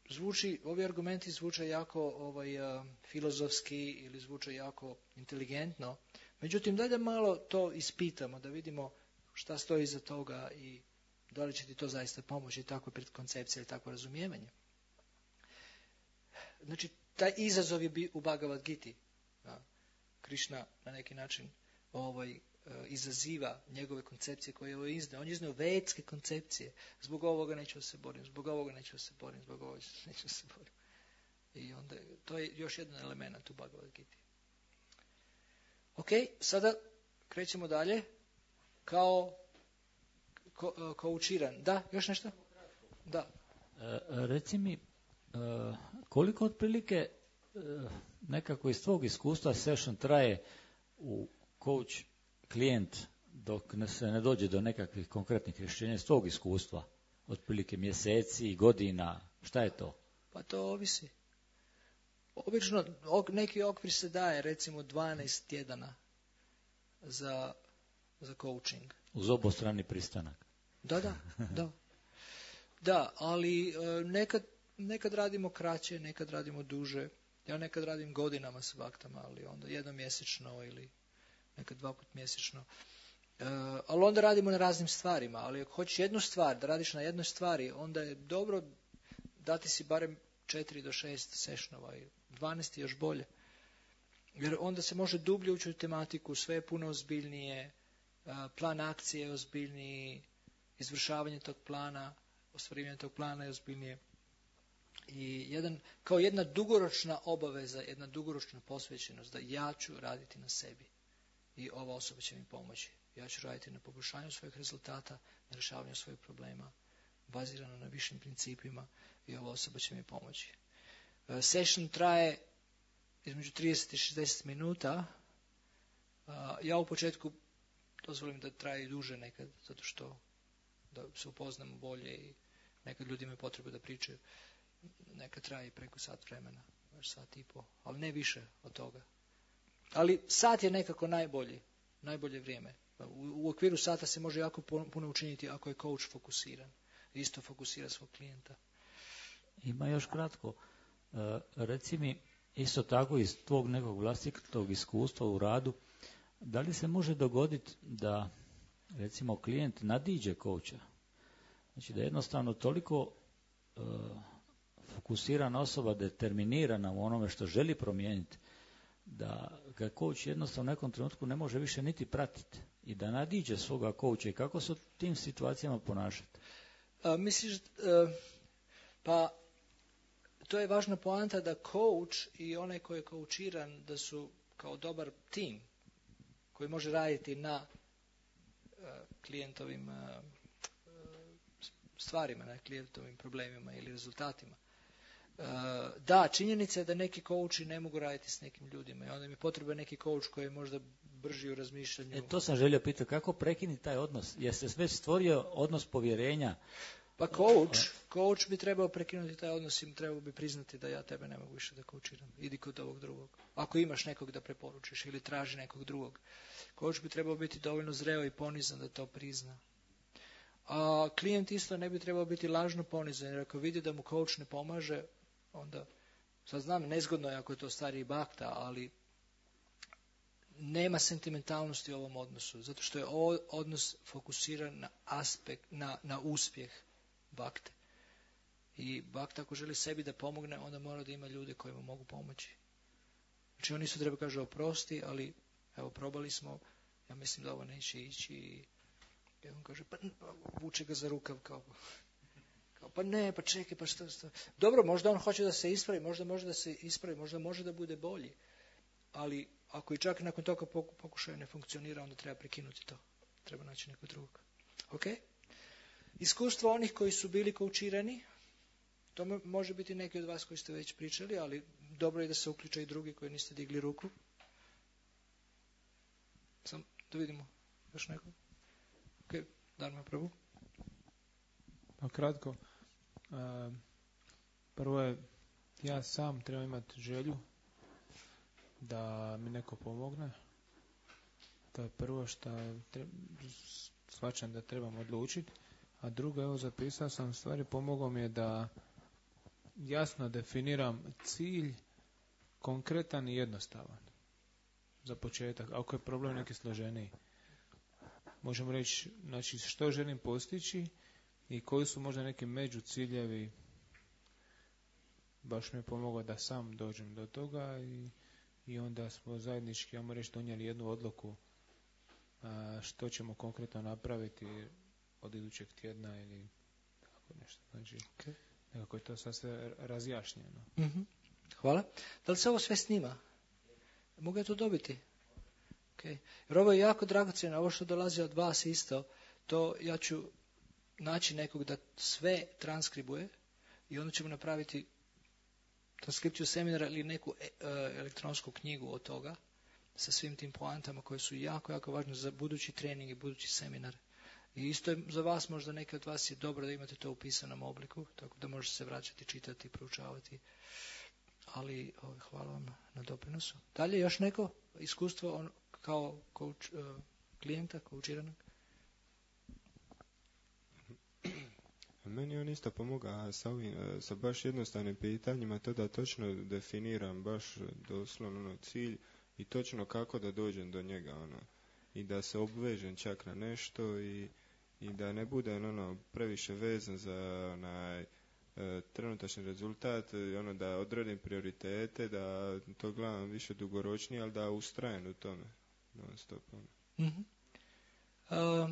Speaker 1: zvuči, ovi argumenti zvuče jako ovaj, uh, filozofski ili zvuče jako inteligentno. Međutim, daj da malo to ispitamo, da vidimo šta stoji iza toga i da li će ti to zaista pomoći, takva predkoncepcija ili takvo razumijevanje. Znači, taj izazov je u Bhagavad Giti. Da. Krišna na neki način ovaj, izaziva njegove koncepcije koje je ovo izneo. On je izneo vedske koncepcije. Zbog ovoga neću da se borim, zbog ovoga neću da se borim, zbog ovoga neću da se borim. I onda, to je još jedan element u Bhagavad Giti. Ok, sada krećemo dalje. Kao ko, koučiran. Da, još nešto? Da.
Speaker 7: E, reci mi, e, koliko otprilike e, nekako iz tvog iskustva session traje u coach klijent dok se ne dođe do nekakvih konkretnih rješenja iz tvog iskustva? Otprilike mjeseci, godina, šta je to?
Speaker 1: Pa to ovisi. Obično neki okvir se daje, recimo dvanaest tjedana za, za coaching.
Speaker 7: Uz obostrani pristanak.
Speaker 1: Da, da, da. Da, ali nekad, nekad radimo kraće, nekad radimo duže. Ja nekad radim godinama s baktama, ali onda jednomjesečno ili nekad dva put mjesečno. E, ali onda radimo na raznim stvarima. Ali ako hoćeš jednu stvar, da radiš na jednoj stvari, onda je dobro dati si barem četiri do šest sešnova i dvanaest još bolje. Jer onda se može dublje ući u tematiku, sve je puno ozbiljnije, plan akcije je ozbiljniji, izvršavanje tog plana, ostvarivanje tog plana je ozbiljnije. I jedan, kao jedna dugoročna obaveza, jedna dugoročna posvećenost da ja ću raditi na sebi i ova osoba će mi pomoći. Ja ću raditi na poboljšanju svojih rezultata, na rješavanju svojih problema, bazirano na višim principima i ova osoba će mi pomoći. Session traje između trideset i šezdeset minuta. Ja u početku dozvolim da traje i duže nekad, zato što da se upoznamo bolje i nekad ljudi imaju potrebu da pričaju. Nekad traje i preko sat vremena, već sat i po, ali ne više od toga. Ali sat je nekako najbolji, najbolje vrijeme. U, u okviru sata se može jako puno učiniti ako je coach fokusiran. Isto fokusira svog klijenta.
Speaker 7: Ima još kratko. E, reci mi, isto tako iz tvog nekog vlastitog iskustva u radu, da li se može dogoditi da, recimo, klijent nadiđe coacha? Znači da je jednostavno toliko e, fokusirana osoba, determinirana u onome što želi promijeniti, da ga coach jednostavno u nekom trenutku ne može više niti pratiti i da nadiđe svoga coacha. I kako se u tim situacijama ponašati?
Speaker 1: A, misliš, a, pa to je važna poanta da coach i onaj koji je coachiran da su kao dobar tim koji može raditi na a, klijentovim a, stvarima, na klijentovim problemima ili rezultatima. Da, činjenica je da neki coachi ne mogu raditi s nekim ljudima i onda im je potreban neki coach koji je možda brži u razmišljanju.
Speaker 7: E, to sam želio pitati, kako prekinuti taj odnos? Jer se već stvorio odnos povjerenja
Speaker 1: Pa coach, coach bi trebao prekinuti taj odnos i trebao bi priznati da ja tebe ne mogu više da coachiram. Idi kod ovog drugog. Ako imaš nekog da preporučiš ili traži nekog drugog. Coach bi trebao biti dovoljno zreo i ponizan da to prizna. A klijent isto ne bi trebao biti lažno ponizan, jer ako vidi da mu coach ne pomaže, onda, sad znam, nezgodno je ako je to stariji bakta, ali nema sentimentalnosti u ovom odnosu, zato što je ovo odnos fokusiran na aspekt, na, na uspjeh bakte. I bakta ako želi sebi da pomogne, onda mora da ima ljude koji mu mogu pomoći. Znači on isto treba kaže oprosti, ali evo probali smo, ja mislim da ovo neće ići i I on kaže, pa vuče ga za rukav kao, kao pa ne, pa čekaj, pa šta, šta. Dobro, možda on hoće da se ispravi, možda može da se ispravi, možda može da bude bolji. Ali ako i čak nakon toga pokušaja ne funkcionira, onda treba prekinuti to. Treba naći nekog drugog. Ok? Iskustvo onih koji su bili koučirani, to može biti neki od vas koji ste već pričali, ali dobro je da se uključaju i drugi koji niste digli ruku. Sam da vidimo još neko. Ok, Darma prvu.
Speaker 6: Pa kratko. Prvo je, ja sam trebam imati želju da mi neko pomogne. To je prvo što shvaćam da trebam odlučiti. A drugo, evo zapisao sam stvari, pomogao mi je da jasno definiram cilj, konkretan i jednostavan. Za početak, ako je problem neki složeniji. Možemo reći, znači, što želim postići i koji su možda neki među ciljevi. Baš mi je pomogao da sam dođem do toga i, i onda smo zajednički, ajmo reći, donijeli jednu odluku a, što ćemo konkretno napraviti od idućeg tjedna ili tako nešto. Znači, okay. Nekako je to sad sve razjašnjeno.
Speaker 1: Mm-hmm. Hvala. Da li se ovo sve snima? Mogu ja to dobiti? Okay. Jer ovo je jako dragocjeno, ovo što dolazi od vas isto, to ja ću naći nekog da sve transkribuje i onda ćemo napraviti transkripciju seminara ili neku e, elektronsku knjigu od toga sa svim tim poantama koje su jako, jako važne za budući trening i budući seminar. I isto je za vas, možda neki od vas je dobro da imate to u pisanom obliku, tako da možete se vraćati, čitati, proučavati. Ali ovaj, hvala vam na doprinosu. Dalje još neko iskustvo on, kao coach, uh, klijenta, koučiranog?
Speaker 3: Meni on isto pomoga sa, ovim, sa baš jednostavnim pitanjima, to da točno definiram baš doslovno ono, cilj i točno kako da dođem do njega. Ono, i da se obvežem čak na nešto i, i da ne budem ono, previše vezan za onaj e, trenutačni rezultat, ono, da odredim prioritete, da to gledam više dugoročnije, ali da ustrajem u tome. Non stop, ono.
Speaker 1: Mm-hmm. Uh,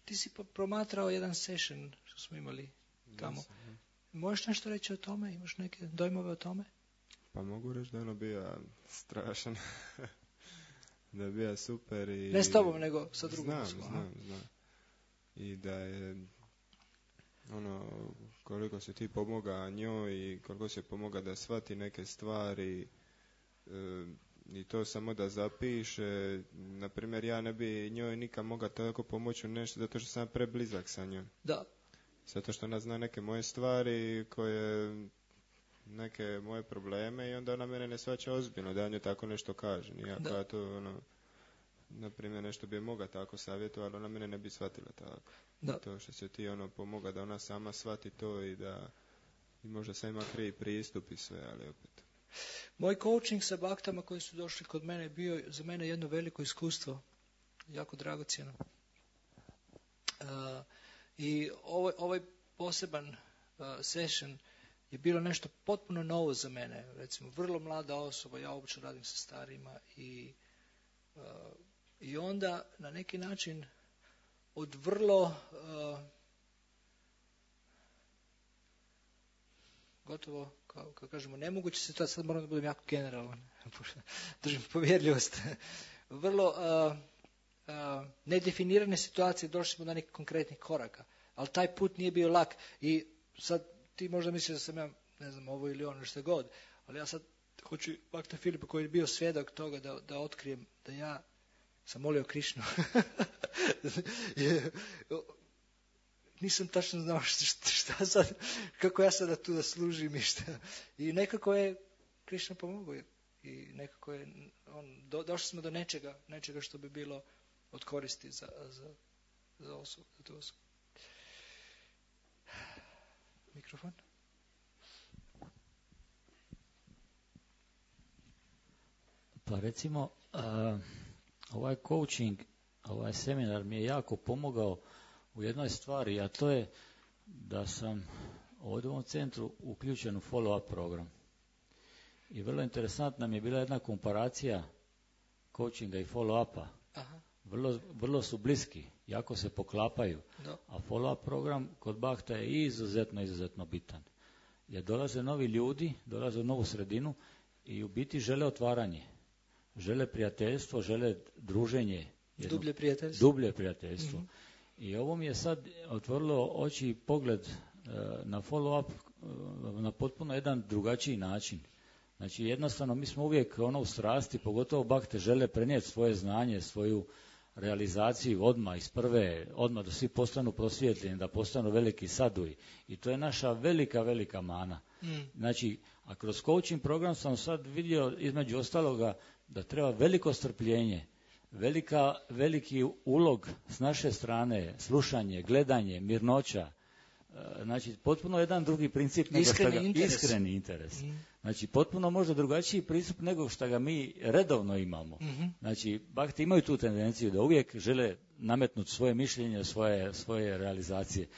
Speaker 1: ti si promatrao jedan session što smo imali tamo. Yes, uh-huh. Možeš nešto reći o tome? Imaš neke dojmove o tome?
Speaker 3: Pa mogu reći da je ono bio strašan. Da je bio super i...
Speaker 1: Ne s tobom, nego sa drugom.
Speaker 3: Znam, znam, znam, znam. I da je ono, koliko se ti pomoga njoj i koliko se pomoga da shvati neke stvari e, i to samo da zapiše. Naprimjer, ja ne bi njoj nikad mogao tako pomoći u nešto zato što sam preblizak sa njom.
Speaker 1: Da.
Speaker 3: Zato što ona zna neke moje stvari koje... neke moje probleme i onda ona mene ne shvaća ozbiljno da ja njoj tako nešto kaže. Iako ja to, ono, na primjer, nešto bi je moga tako savjetovati, ona mene ne bi shvatila tako. Da. To što se ti ono pomoga da ona sama shvati to i da i možda sam ima krivi pristup i sve, ali opet.
Speaker 1: Moj coaching sa baktama koji su došli kod mene bio za mene jedno veliko iskustvo. Jako dragocjeno. Uh, I ovaj, ovaj poseban uh, session je bilo nešto potpuno novo za mene. Recimo, vrlo mlada osoba, ja obično radim sa starima i, uh, i onda na neki način od vrlo uh, gotovo, kao, kao kažemo, nemoguće se to, sad moram da budem jako generalan, držim povjerljivost, vrlo uh, uh, nedefinirane situacije, došli smo do nekih konkretnih koraka, ali taj put nije bio lak i sad ti možda misliš da sam ja, ne znam, ovo ili ono što god, ali ja sad hoću Bakta Filipa koji je bio svjedok toga da, da otkrijem da ja sam molio Krišnu. nisam tačno znao šta, šta sad, kako ja sada tu da služim i šta. I nekako je Krišna pomogao i nekako je, on, do, došli smo do nečega, nečega što bi bilo od koristi za, za, za osobu, za tu osobu. Mikrofon.
Speaker 7: Pa recimo, uh, ovaj coaching, ovaj seminar mi je jako pomogao u jednoj stvari, a to je da sam ovdje u ovom centru uključen u follow-up program. I vrlo interesantna mi je bila jedna komparacija coachinga i follow-upa.
Speaker 1: Aha.
Speaker 7: Vrlo, vrlo su bliski, jako se poklapaju.
Speaker 1: Da.
Speaker 7: A follow-up program kod Bhakta je izuzetno, izuzetno bitan. Jer dolaze novi ljudi, dolaze u novu sredinu i u biti žele otvaranje. Žele prijateljstvo, žele druženje. Jedno,
Speaker 1: dublje prijateljstvo.
Speaker 7: Dublje prijateljstvo. Mm-hmm. I ovo mi je sad otvorilo oči i pogled uh, na follow-up uh, na potpuno jedan drugačiji način. Znači jednostavno mi smo uvijek ono u strasti, pogotovo Bhakte žele prenijeti svoje znanje, svoju realizaciju odmah iz prve, odmah da svi postanu prosvjetljeni, da postanu veliki saduji. I to je naša velika, velika mana. Mm. Znači, a kroz coaching program sam sad vidio između ostaloga da treba veliko strpljenje, velika, veliki ulog s naše strane, slušanje, gledanje, mirnoća. Znači, potpuno jedan drugi princip nego
Speaker 1: iskreni
Speaker 7: što ga,
Speaker 1: interes.
Speaker 7: Iskreni interes.
Speaker 1: Mm.
Speaker 7: Znači, potpuno možda drugačiji pristup nego što ga mi redovno imamo. Mm-hmm. Znači, Bhakti imaju tu tendenciju da uvijek žele nametnuti svoje mišljenje, svoje, svoje realizacije.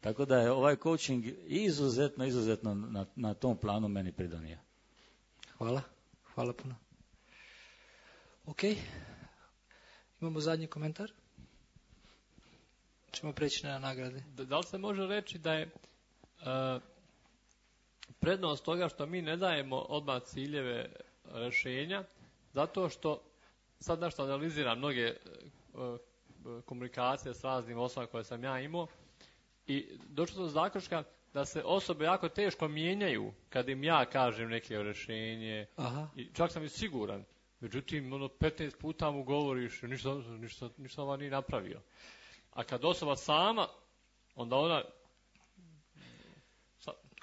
Speaker 7: Tako da je ovaj coaching izuzetno, izuzetno na, na tom planu meni pridonio.
Speaker 1: Hvala. Hvala puno. Ok. Imamo zadnji komentar. Ćemo preći na nagrade.
Speaker 5: Da, da li se može reći da je uh, prednost toga što mi ne dajemo odmah ciljeve rješenja, zato što sad nešto analiziram mnoge uh, komunikacije s raznim osobama koje sam ja imao i došao sam do zaključka da se osobe jako teško mijenjaju kad im ja kažem neke rješenje. Aha. I čak sam i siguran. Međutim, ono, petnaest puta mu govoriš, ništa, ništa, ništa ova nije napravio. A kad osoba sama, onda ona...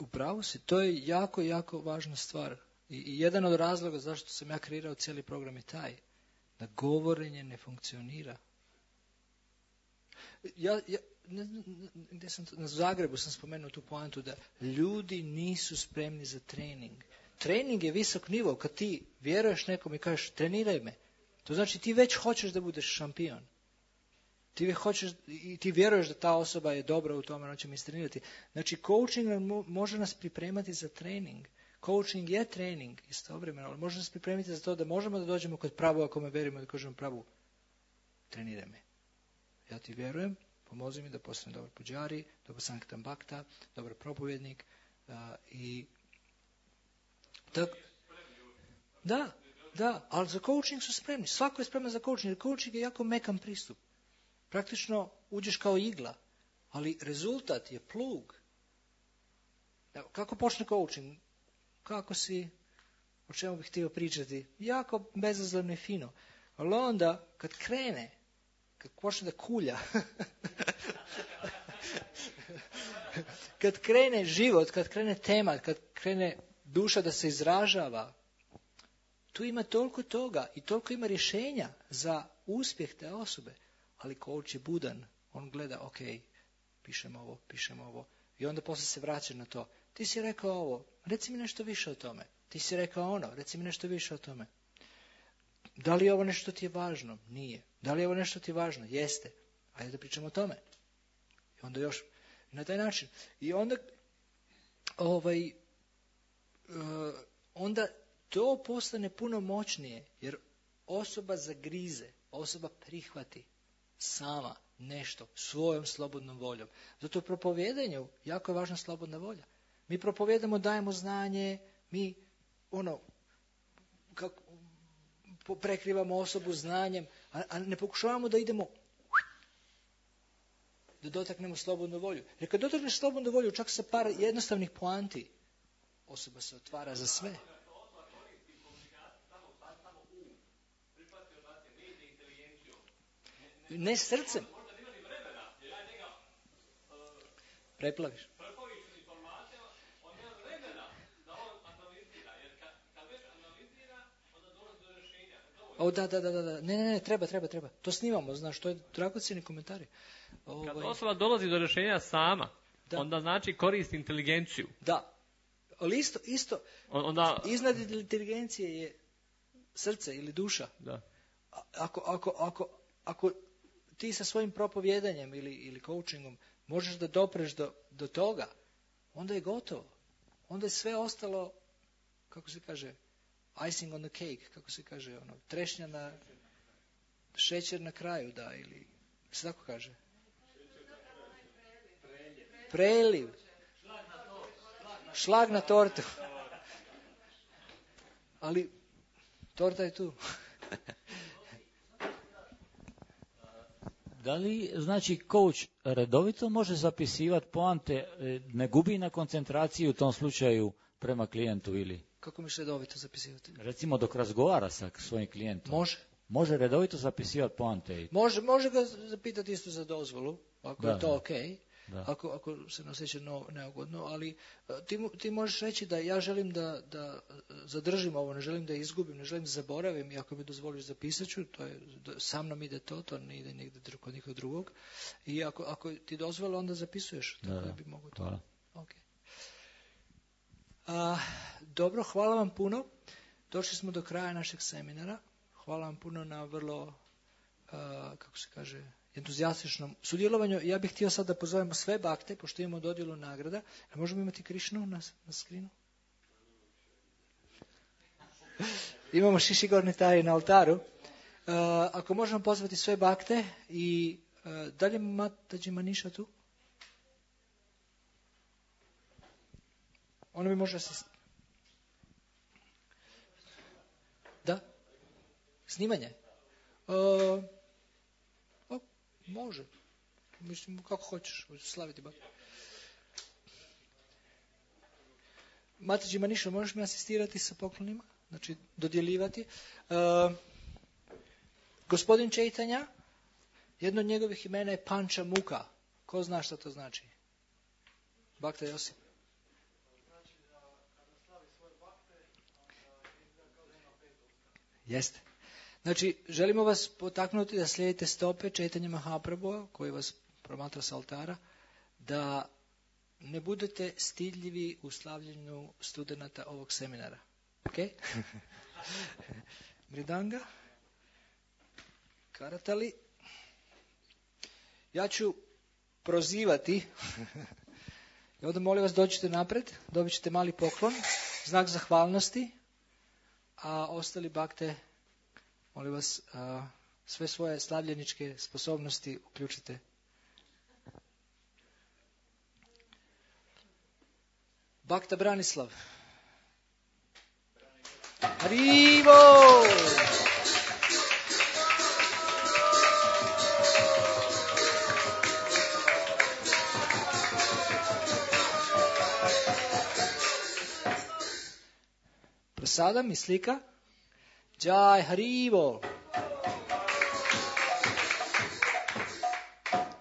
Speaker 1: Upravo si, to je jako, jako važna stvar. I, i jedan od razloga zašto sam ja kreirao cijeli program je taj, da govorenje ne funkcionira. Ja, ja ne, ne, sam, na Zagrebu sam spomenuo tu poantu da ljudi nisu spremni za trening. Trening je visok nivo, kad ti vjeruješ nekom i kažeš treniraj me, to znači ti već hoćeš da budeš šampion. Ti hoćeš i ti vjeruješ da ta osoba je dobra u tome, ona će mi istrenirati. Znači, coaching može nas pripremati za trening. Coaching je trening istovremeno, ali može nas pripremiti za to da možemo da dođemo kod pravu, ako me verimo, da kažemo pravu, treniraj me. Ja ti vjerujem, pomozi mi da postanem dobar puđari, dobar sanktam bhakta, dobar propovjednik uh, i tako. Da, da, ali za coaching su spremni. Svako je spreman za coaching, jer coaching je jako mekan pristup. Praktično uđeš kao igla, ali rezultat je plug. Evo, kako počne coaching? Kako si, o čemu bih htio pričati? Jako bezazleno i fino. Ali onda, kad krene, kad počne da kulja, kad krene život, kad krene tema, kad krene duša da se izražava, tu ima toliko toga i toliko ima rješenja za uspjeh te osobe. Ali coach je budan, on gleda, ok, pišem ovo, pišem ovo. I onda poslije se vraća na to. Ti si rekao ovo, reci mi nešto više o tome. Ti si rekao ono, reci mi nešto više o tome. Da li je ovo nešto ti je važno? Nije. Da li je ovo nešto ti je važno? Jeste. Ajde da pričamo o tome. I onda još, na taj način. I onda, ovaj, uh, onda to postane puno moćnije, jer osoba zagrize, osoba prihvati sama nešto svojom slobodnom voljom. Zato u propovjedanju jako je važna slobodna volja. Mi propovjedamo, dajemo znanje, mi ono, kako, prekrivamo osobu znanjem, a, a ne pokušavamo da idemo da dotaknemo slobodnu volju. Jer kad dotakneš slobodnu volju, čak sa par jednostavnih poanti, osoba se otvara za sve. Ne srcem. Preplaviš. O, da, da, da, da, ne, ne, ne, treba, treba, treba. To snimamo, znaš, to je dragocjeni komentari. Ovaj...
Speaker 5: Kad osoba dolazi do rješenja sama, da. onda znači koristi inteligenciju.
Speaker 1: Da, ali isto, isto,
Speaker 5: onda...
Speaker 1: iznad inteligencije je srce ili duša.
Speaker 5: Da.
Speaker 1: Ako, ako, ako, ako ti sa svojim propovjedanjem ili, ili coachingom možeš da dopreš do, do toga, onda je gotovo. Onda je sve ostalo, kako se kaže, icing on the cake, kako se kaže, ono, trešnja na, šećer na kraju, da, ili, se tako kaže? Preliv. Šlag na tortu. Ali, torta je tu.
Speaker 7: Da li, znači, coach redovito može zapisivati poante, ne gubi na koncentraciji u tom slučaju prema klijentu ili?
Speaker 1: Kako miš redovito zapisivati?
Speaker 7: Recimo dok razgovara sa svojim klijentom.
Speaker 1: Može.
Speaker 7: Može redovito zapisivati poante?
Speaker 1: Može, može ga zapitati isto za dozvolu, ako
Speaker 7: da,
Speaker 1: je to
Speaker 7: da.
Speaker 1: ok, ako, ako se ne osjeća no, neugodno, ali ti, ti možeš reći da ja želim da, da zadržim ovo, ne želim da izgubim, ne želim da zaboravim i ako mi dozvoliš zapisat ću, to je, sa mnom ide to, to ne ide nigdje kod nikog drugog i ako, ako ti dozvole onda zapisuješ, tako da, da bi mogu to.
Speaker 7: Hvala.
Speaker 1: Okay. A, dobro, hvala vam puno. Došli smo do kraja našeg seminara. Hvala vam puno na vrlo, a, kako se kaže, entuzijastičnom sudjelovanju. Ja bih htio sad da pozovemo sve bakte, pošto imamo dodjelu nagrada. A možemo imati Krišnu na, na skrinu? Imamo Šišigorni taj na oltaru. A, ako možemo pozvati sve bakte i a, da li je Mataji Maniša tu? Ona mi može asistirati. Da? Snimanje? Uh, o, može. Mislim, kako hoćeš. Slaviti bak. Mataji Maniša, možeš mi asistirati sa poklonima? Znači, dodjeljivati. Uh, gospodin Čejtanja, jedno od njegovih imena je Panča Muka. Ko zna šta to znači? Bakta Josip. Jeste. Znači, želimo vas potaknuti da slijedite stope Čejtanja Mahaprabhua, koji vas promatra s altara, da ne budete stidljivi u slavljenju studenata ovog seminara. Ok? Mridanga. Karatali. Ja ću prozivati. I onda molim vas dođite napred, dobit ćete mali poklon, znak zahvalnosti. A ostali bakte, molim vas, a, sve svoje slavljeničke sposobnosti uključite. Bakta Branislav. Harivo! Sada mi slika. Jai Harivo.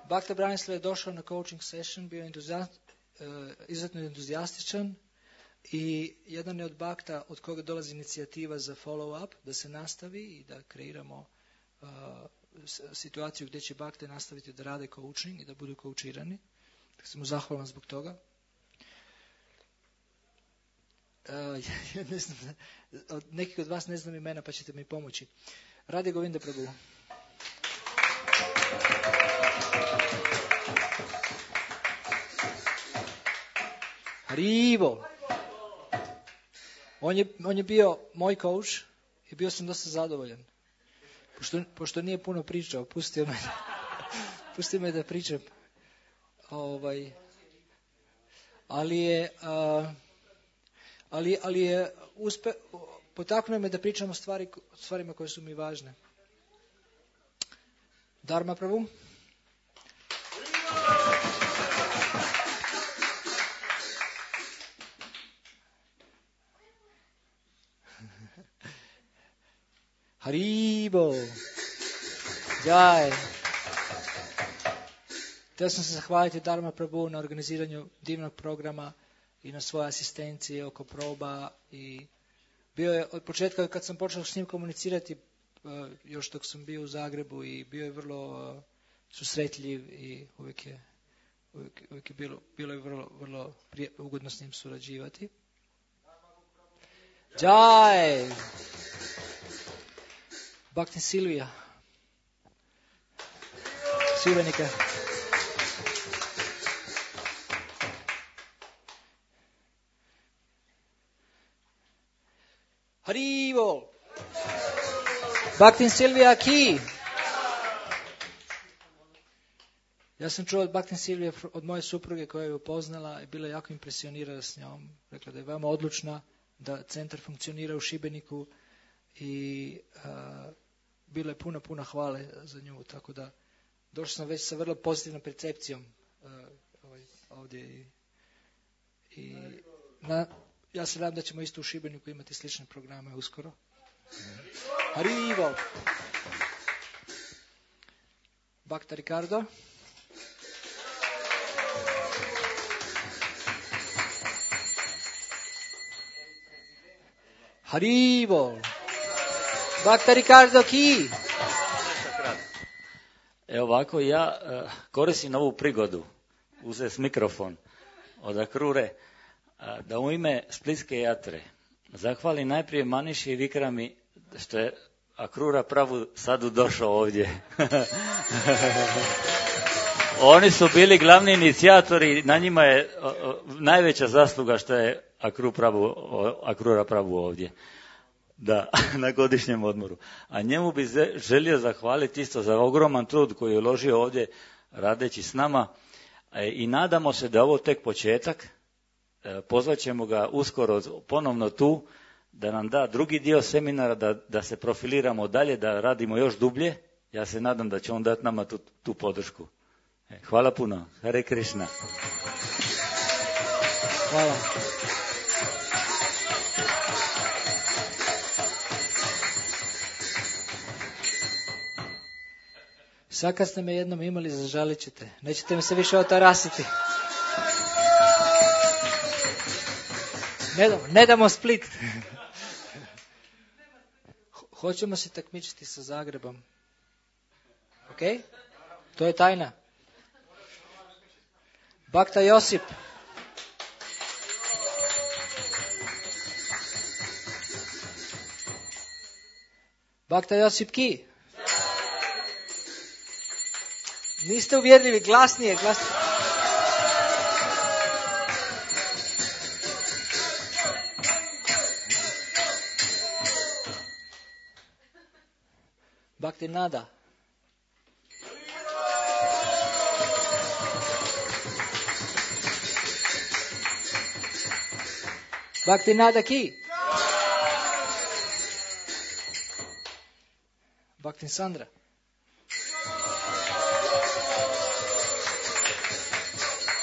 Speaker 1: Bakta Branislav je došao na coaching session, bio entuzijast, uh, izuzetno entuzijastičan i jedan je od bakta od koga dolazi inicijativa za follow up, da se nastavi i da kreiramo uh, situaciju gdje će bakte nastaviti da rade coaching i da budu coachirani. Tako sam mu zahvalan zbog toga. Uh, ja ne znam, od nekih od vas ne znam imena, pa ćete mi pomoći. Radhe Govinda Prabhu. Harivo. On je, on je bio moj coach i bio sam dosta zadovoljan. Pošto, pošto nije puno pričao, pustio me, pustio me da pričam. Ovaj, ali je... Uh, Ali, ali je uspe, potaknuo me da pričam o stvari, stvarima koje su mi važne. Dharma Prabhu. Haribo. Jai. Htio sam se zahvaliti Dharma Prabhu na organiziranju divnog programa i na svoje asistencije oko proba. I bio je od početka kad sam počeo s njim komunicirati, još dok sam bio u Zagrebu, i bio je vrlo susretljiv i uvijek je, uvijek, uvijek je bilo, bilo je vrlo, vrlo prije, ugodno s njim surađivati. Jai! Bhakti Silvija. Silvenika. Harivo! Bhakti Silvija ki! Ja sam čuo od Bhakti Silvije, od moje supruge koja je upoznala i bila jako impresionirana s njom. Rekla da je veoma odlučna, da centar funkcionira u Šibeniku i uh, bilo je puno, puno hvale za nju. Tako da došao sam već sa vrlo pozitivnom percepcijom uh, ovaj, ovdje. I, i na, ja se nadam da ćemo isto u Šibeniku imati slične programe uskoro. Arrivo! Bhakta Ricardo. Harivo! Bhakta Ricardo ki!
Speaker 7: Evo ovako, ja uh, koristim ovu prigodu, uzet mikrofon od Akrure, uh, da u ime Splitske jatre zahvalim najprije Maniši i Vikrami što je Akrura Pravu sadu došao ovdje. Oni su bili glavni inicijatori, na njima je uh, uh, najveća zasluga što je Akru Pravu, uh, Akrura Pravu ovdje. Da, na godišnjem odmoru. A njemu bi želio zahvaliti isto za ogroman trud koji je uložio ovdje radeći s nama. I nadamo se da je ovo tek početak. Pozvat ćemo ga uskoro ponovno tu, da nam da drugi dio seminara, da, da se profiliramo dalje, da radimo još dublje. Ja se nadam da će on dati nama tu, tu podršku. Hvala puno. Hare Krishna.
Speaker 1: Hvala. Sad kad ste me jednom imali, zažalit ćete. Nećete mi se više otarasiti. Ne damo, ne damo Split. Hoćemo se takmičiti sa Zagrebom. Ok? To je tajna. Bhakta Josip. Bhakta Josip ki? Niste uvjerljivi, glasnije, glasnije. Bhakti Nada. Bhakti Nada ki? Bhakti Sandra.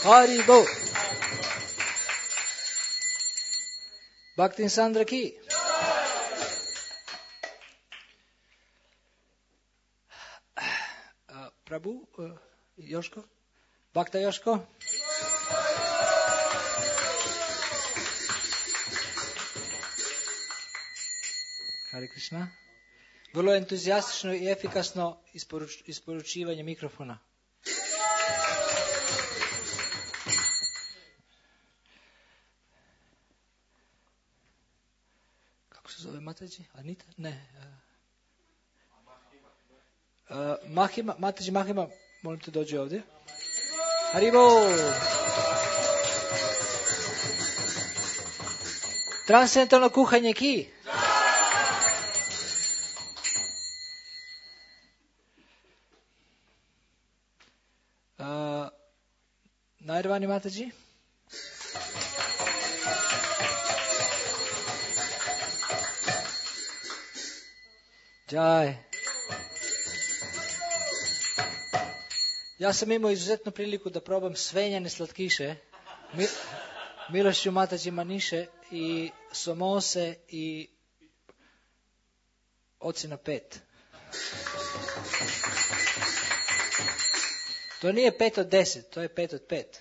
Speaker 1: Haribo. Bhakti Sandra ki? Uh, Prabhu, uh, Joško? Bhakta Joško? Hare Krishna. Vrlo entuzijastično i efikasno isporuč, isporučivanje mikrofona. Kako se zove Mataji? Anita? Ne. Uh, Mahima, Mataji Mahima, molim te dođi ovdje. Haribo! Transcendentalno kuhanje ki? Uh, Nairvani Mataji? Jai. Ja sam imao izuzetnu priliku da probam svenjane slatkiše, mi, milošću Mataji Maniše i somose i ocjena pet. To nije pet od deset, to je pet od pet.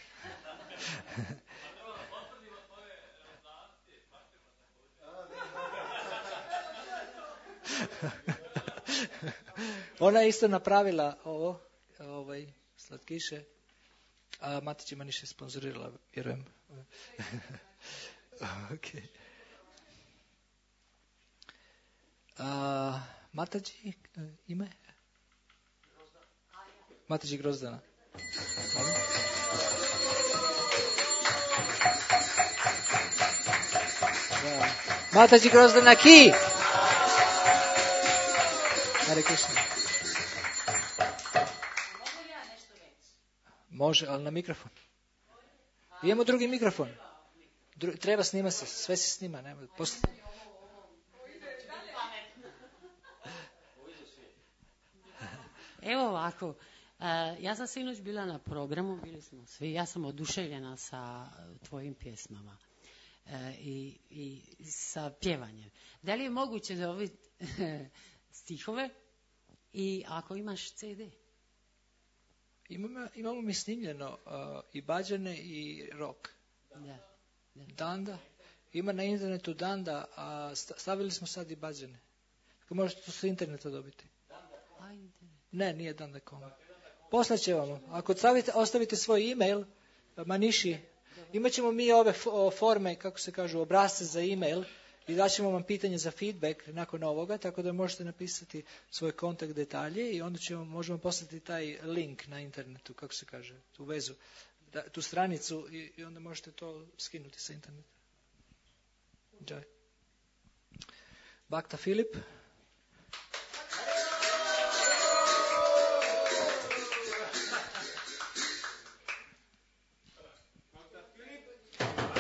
Speaker 1: Ona je isto napravila ovo, ovaj, slatkiše, a Matić ima niše sponzorirala, vjerujem. Okay. A, Matađi ime? Matađi Grozdana. Da. Matađi Grozdana ki! Hare Krishna. Može, ali na mikrofon. Imamo drugi mikrofon. Dru- treba snima se, sve se snima. Nema, posle...
Speaker 10: Evo ovako, uh, ja sam sinoć bila na programu, bili smo svi, ja sam oduševljena sa tvojim pjesmama uh, i, i sa pjevanjem. Da li je moguće da ovi stihove i ako imaš ce de?
Speaker 1: Imamo, imamo mi snimljeno uh, i bađane i rock.
Speaker 10: Da. Da.
Speaker 1: Danda. Ima na internetu Danda, a stavili smo sad i bađane. Tako možete to sa interneta dobiti.
Speaker 10: A, internet.
Speaker 1: Ne, nije Danda punkt com. Poslaće vam. Ako stavite, ostavite svoj e-mail, Maniši, imat ćemo mi ove forme, kako se kažu, obrazce za e-mail i daćemo vam pitanje za feedback nakon ovoga, tako da možete napisati svoj kontakt detalje i onda ćemo, možemo poslati taj link na internetu, kako se kaže, tu vezu, da, tu stranicu i, i onda možete to skinuti sa interneta. Džaj. Bakta Filip.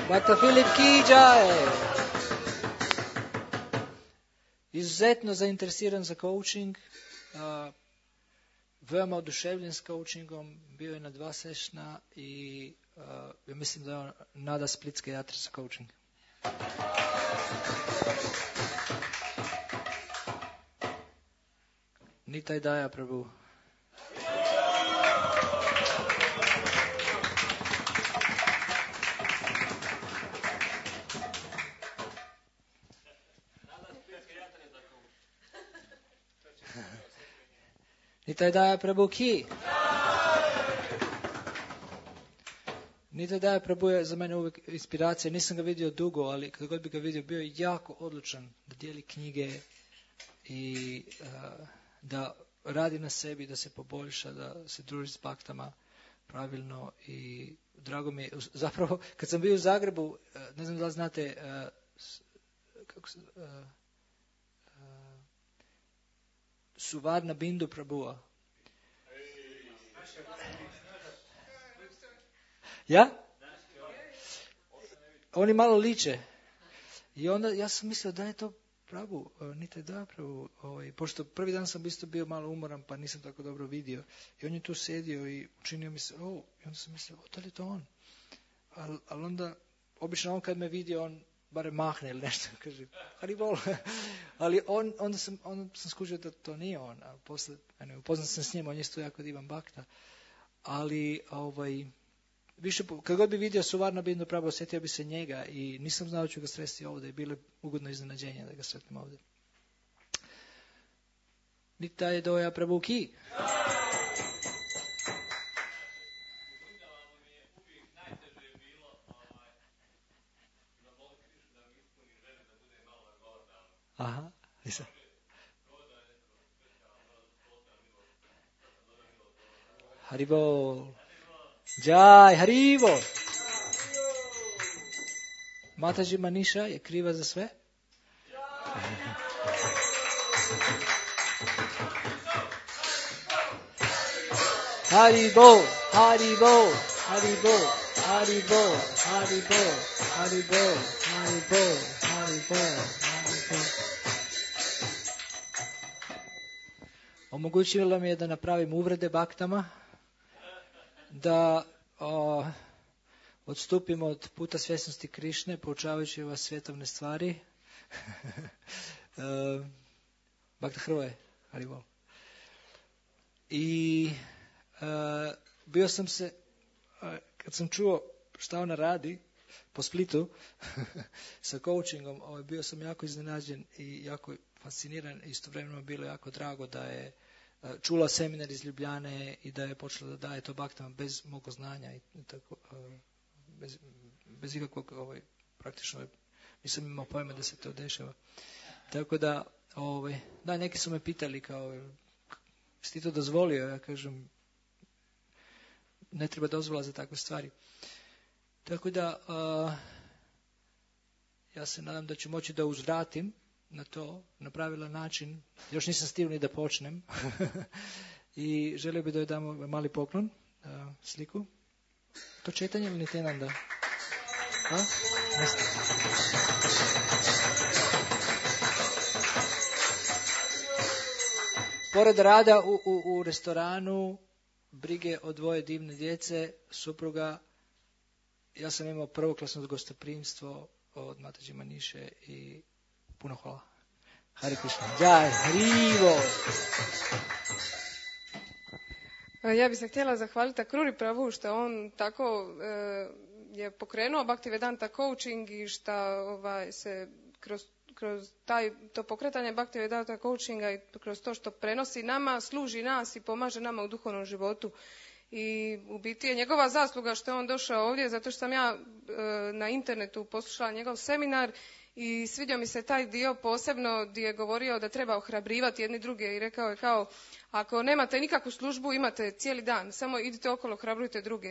Speaker 1: Bakta Filip ki džaj. Izuzetno zainteresiran za coaching, uh, veoma oduševljen s coachingom, bio je na dva sešna i uh, ja mislim da je on nada splitske jatre za coaching. Nitaj Daja Prabhu. Nitaj Daja Prabhu ki. Nitaj Daja Prabhu je za mene uvijek inspiracija. Nisam ga vidio dugo, ali kad god bi ga vidio, bio je jako odlučan da dijeli knjige i uh, da radi na sebi, da se poboljša, da se druži s baktama pravilno i drago mi je. Zapravo, kad sam bio u Zagrebu, ne znam da li znate, uh, kako se... Uh, Suvarna Bindu Prabhua. Ja? Oni malo liče. I onda ja sam mislio da je to Prabhu, niti da Prabhu. Ovaj, pošto prvi dan sam isto bio malo umoran pa nisam tako dobro vidio. I on je tu sedio i učinio mi se, oh, i onda sam mislio, o, da li je to on? Ali al onda, obično on kad me vidio, on barem mahne ili nešto, kaže, Haribol. Ali on, onda sam, onda sam skužio da to nije on, a posle, ne, upoznat sam s njim, on je isto jako divan bakta. Ali, ovaj, više, kad god bi vidio Suvarna Bindu Prabhu, osjetio bi se njega i nisam znao da ću ga sresti ovdje i bilo ugodno iznenađenje da ga sretnem ovdje. Nitaj Daja Prabhu ki. Aha, nisam. Haribol. Džaj, Haribol. Mataji Maniša je kriva za sve? Haribol, Haribol, Haribol, Haribol, Haribol, Haribol, Haribol, Haribol, Haribol. Omogućilo mi je da napravim uvrede baktama, da o, odstupimo od puta svjesnosti Krišne, poučavajući vas svjetovne stvari. uh, Bakta Hrvoje, Haribol. I uh, bio sam se, kad sam čuo šta ona radi po Splitu sa coachingom, ovaj, bio sam jako iznenađen i jako fasciniran. Istovremeno bilo jako drago da je čula seminar iz Ljubljane i da je počela da daje to baktama bez mog znanja i tako, bez, bez ikakvog ovaj, praktično nisam imao pojma da se to dešava. Tako da, ovaj, da, neki su me pitali kao, si ti to dozvolio? Ja kažem, ne treba dozvola za takve stvari. Tako da, uh, ja se nadam da ću moći da uzvratim na to, na pravilan način. Još nisam stigao ni da počnem. I želio bih da joj damo mali poklon, uh, sliku. To četanje ili niti jedan da? A? Nesta. Pored rada u, u, u restoranu, brige o dvoje divne djece, supruga, ja sam imao prvoklasno gostoprimstvo od Mataji Maniše i puno hvala. Hare Krishna. Jai, Harivo.
Speaker 11: Ja bih se htjela zahvaliti Akruri Prabhu što on tako e, je pokrenuo Bhaktivedanta coaching i što ovaj, se kroz, kroz taj, to pokretanje Bhaktivedanta coachinga i kroz to što prenosi nama, služi nas i pomaže nama u duhovnom životu. I u biti je njegova zasluga što je on došao ovdje, zato što sam ja e, na internetu poslušala njegov seminar i svidio mi se taj dio posebno gdje je govorio da treba ohrabrivati jedni druge i rekao je kao, ako nemate nikakvu službu, imate cijeli dan, samo idite okolo, ohrabrujte druge.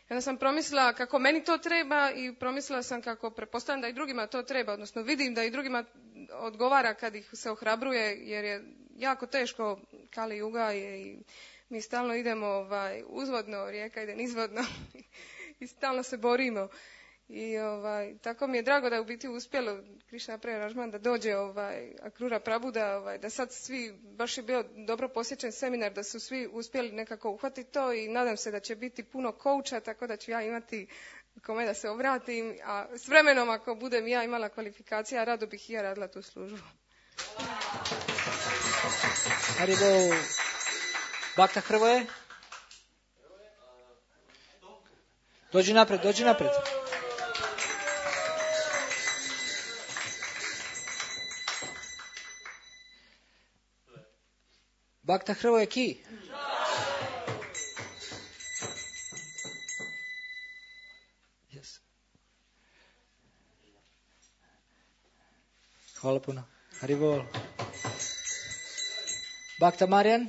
Speaker 11: I onda sam promislila kako meni to treba i promislila sam kako pretpostavljam da i drugima to treba, odnosno vidim da i drugima odgovara kad ih se ohrabruje, jer je jako teško, Kali Juga je i mi stalno idemo ovaj, uzvodno, rijeka ide nizvodno i stalno se borimo. I ovaj, tako mi je drago da je u biti uspjelo Krishna Preražman da dođe ovaj, Akrura Prabhu, da, ovaj, da sad svi, baš je bio dobro posjećen seminar, da su svi uspjeli nekako uhvatiti to i nadam se da će biti puno kouča, tako da ću ja imati kome da se obratim, a s vremenom ako budem ja imala kvalifikacija, rado bih i ja radila tu službu.
Speaker 1: Haribo. Bhakta Hrvoje? Dođi napred, dođi napred. Bhakta Hrvoje ki? Yes. Hvala puno. Haribol. Bhakta Marijan?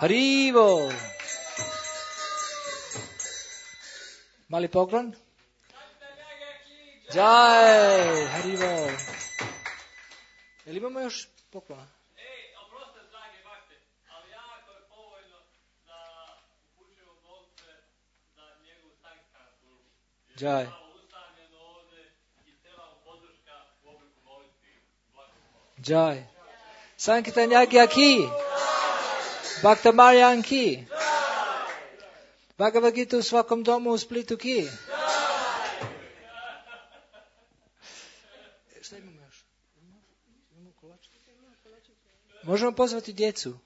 Speaker 1: Haribo. Mali poklon. Jai, Haribo. Jel imamo još poklona?
Speaker 5: Ej, oproste, drage bakte, ali jako je povoljno da upućujemo novce za njegovu sankcijsku službu.
Speaker 1: Jai.
Speaker 5: Ustavljeno ovdje i cijela podrška u obliku molitvi.
Speaker 1: Jai. Sankirtan Yagya ki? Bhakta Marijan ki? Bhagavad Gita u svakom domu u Splitu ki? Šta imamo još? Imamo kolač? Možemo pozvati djecu.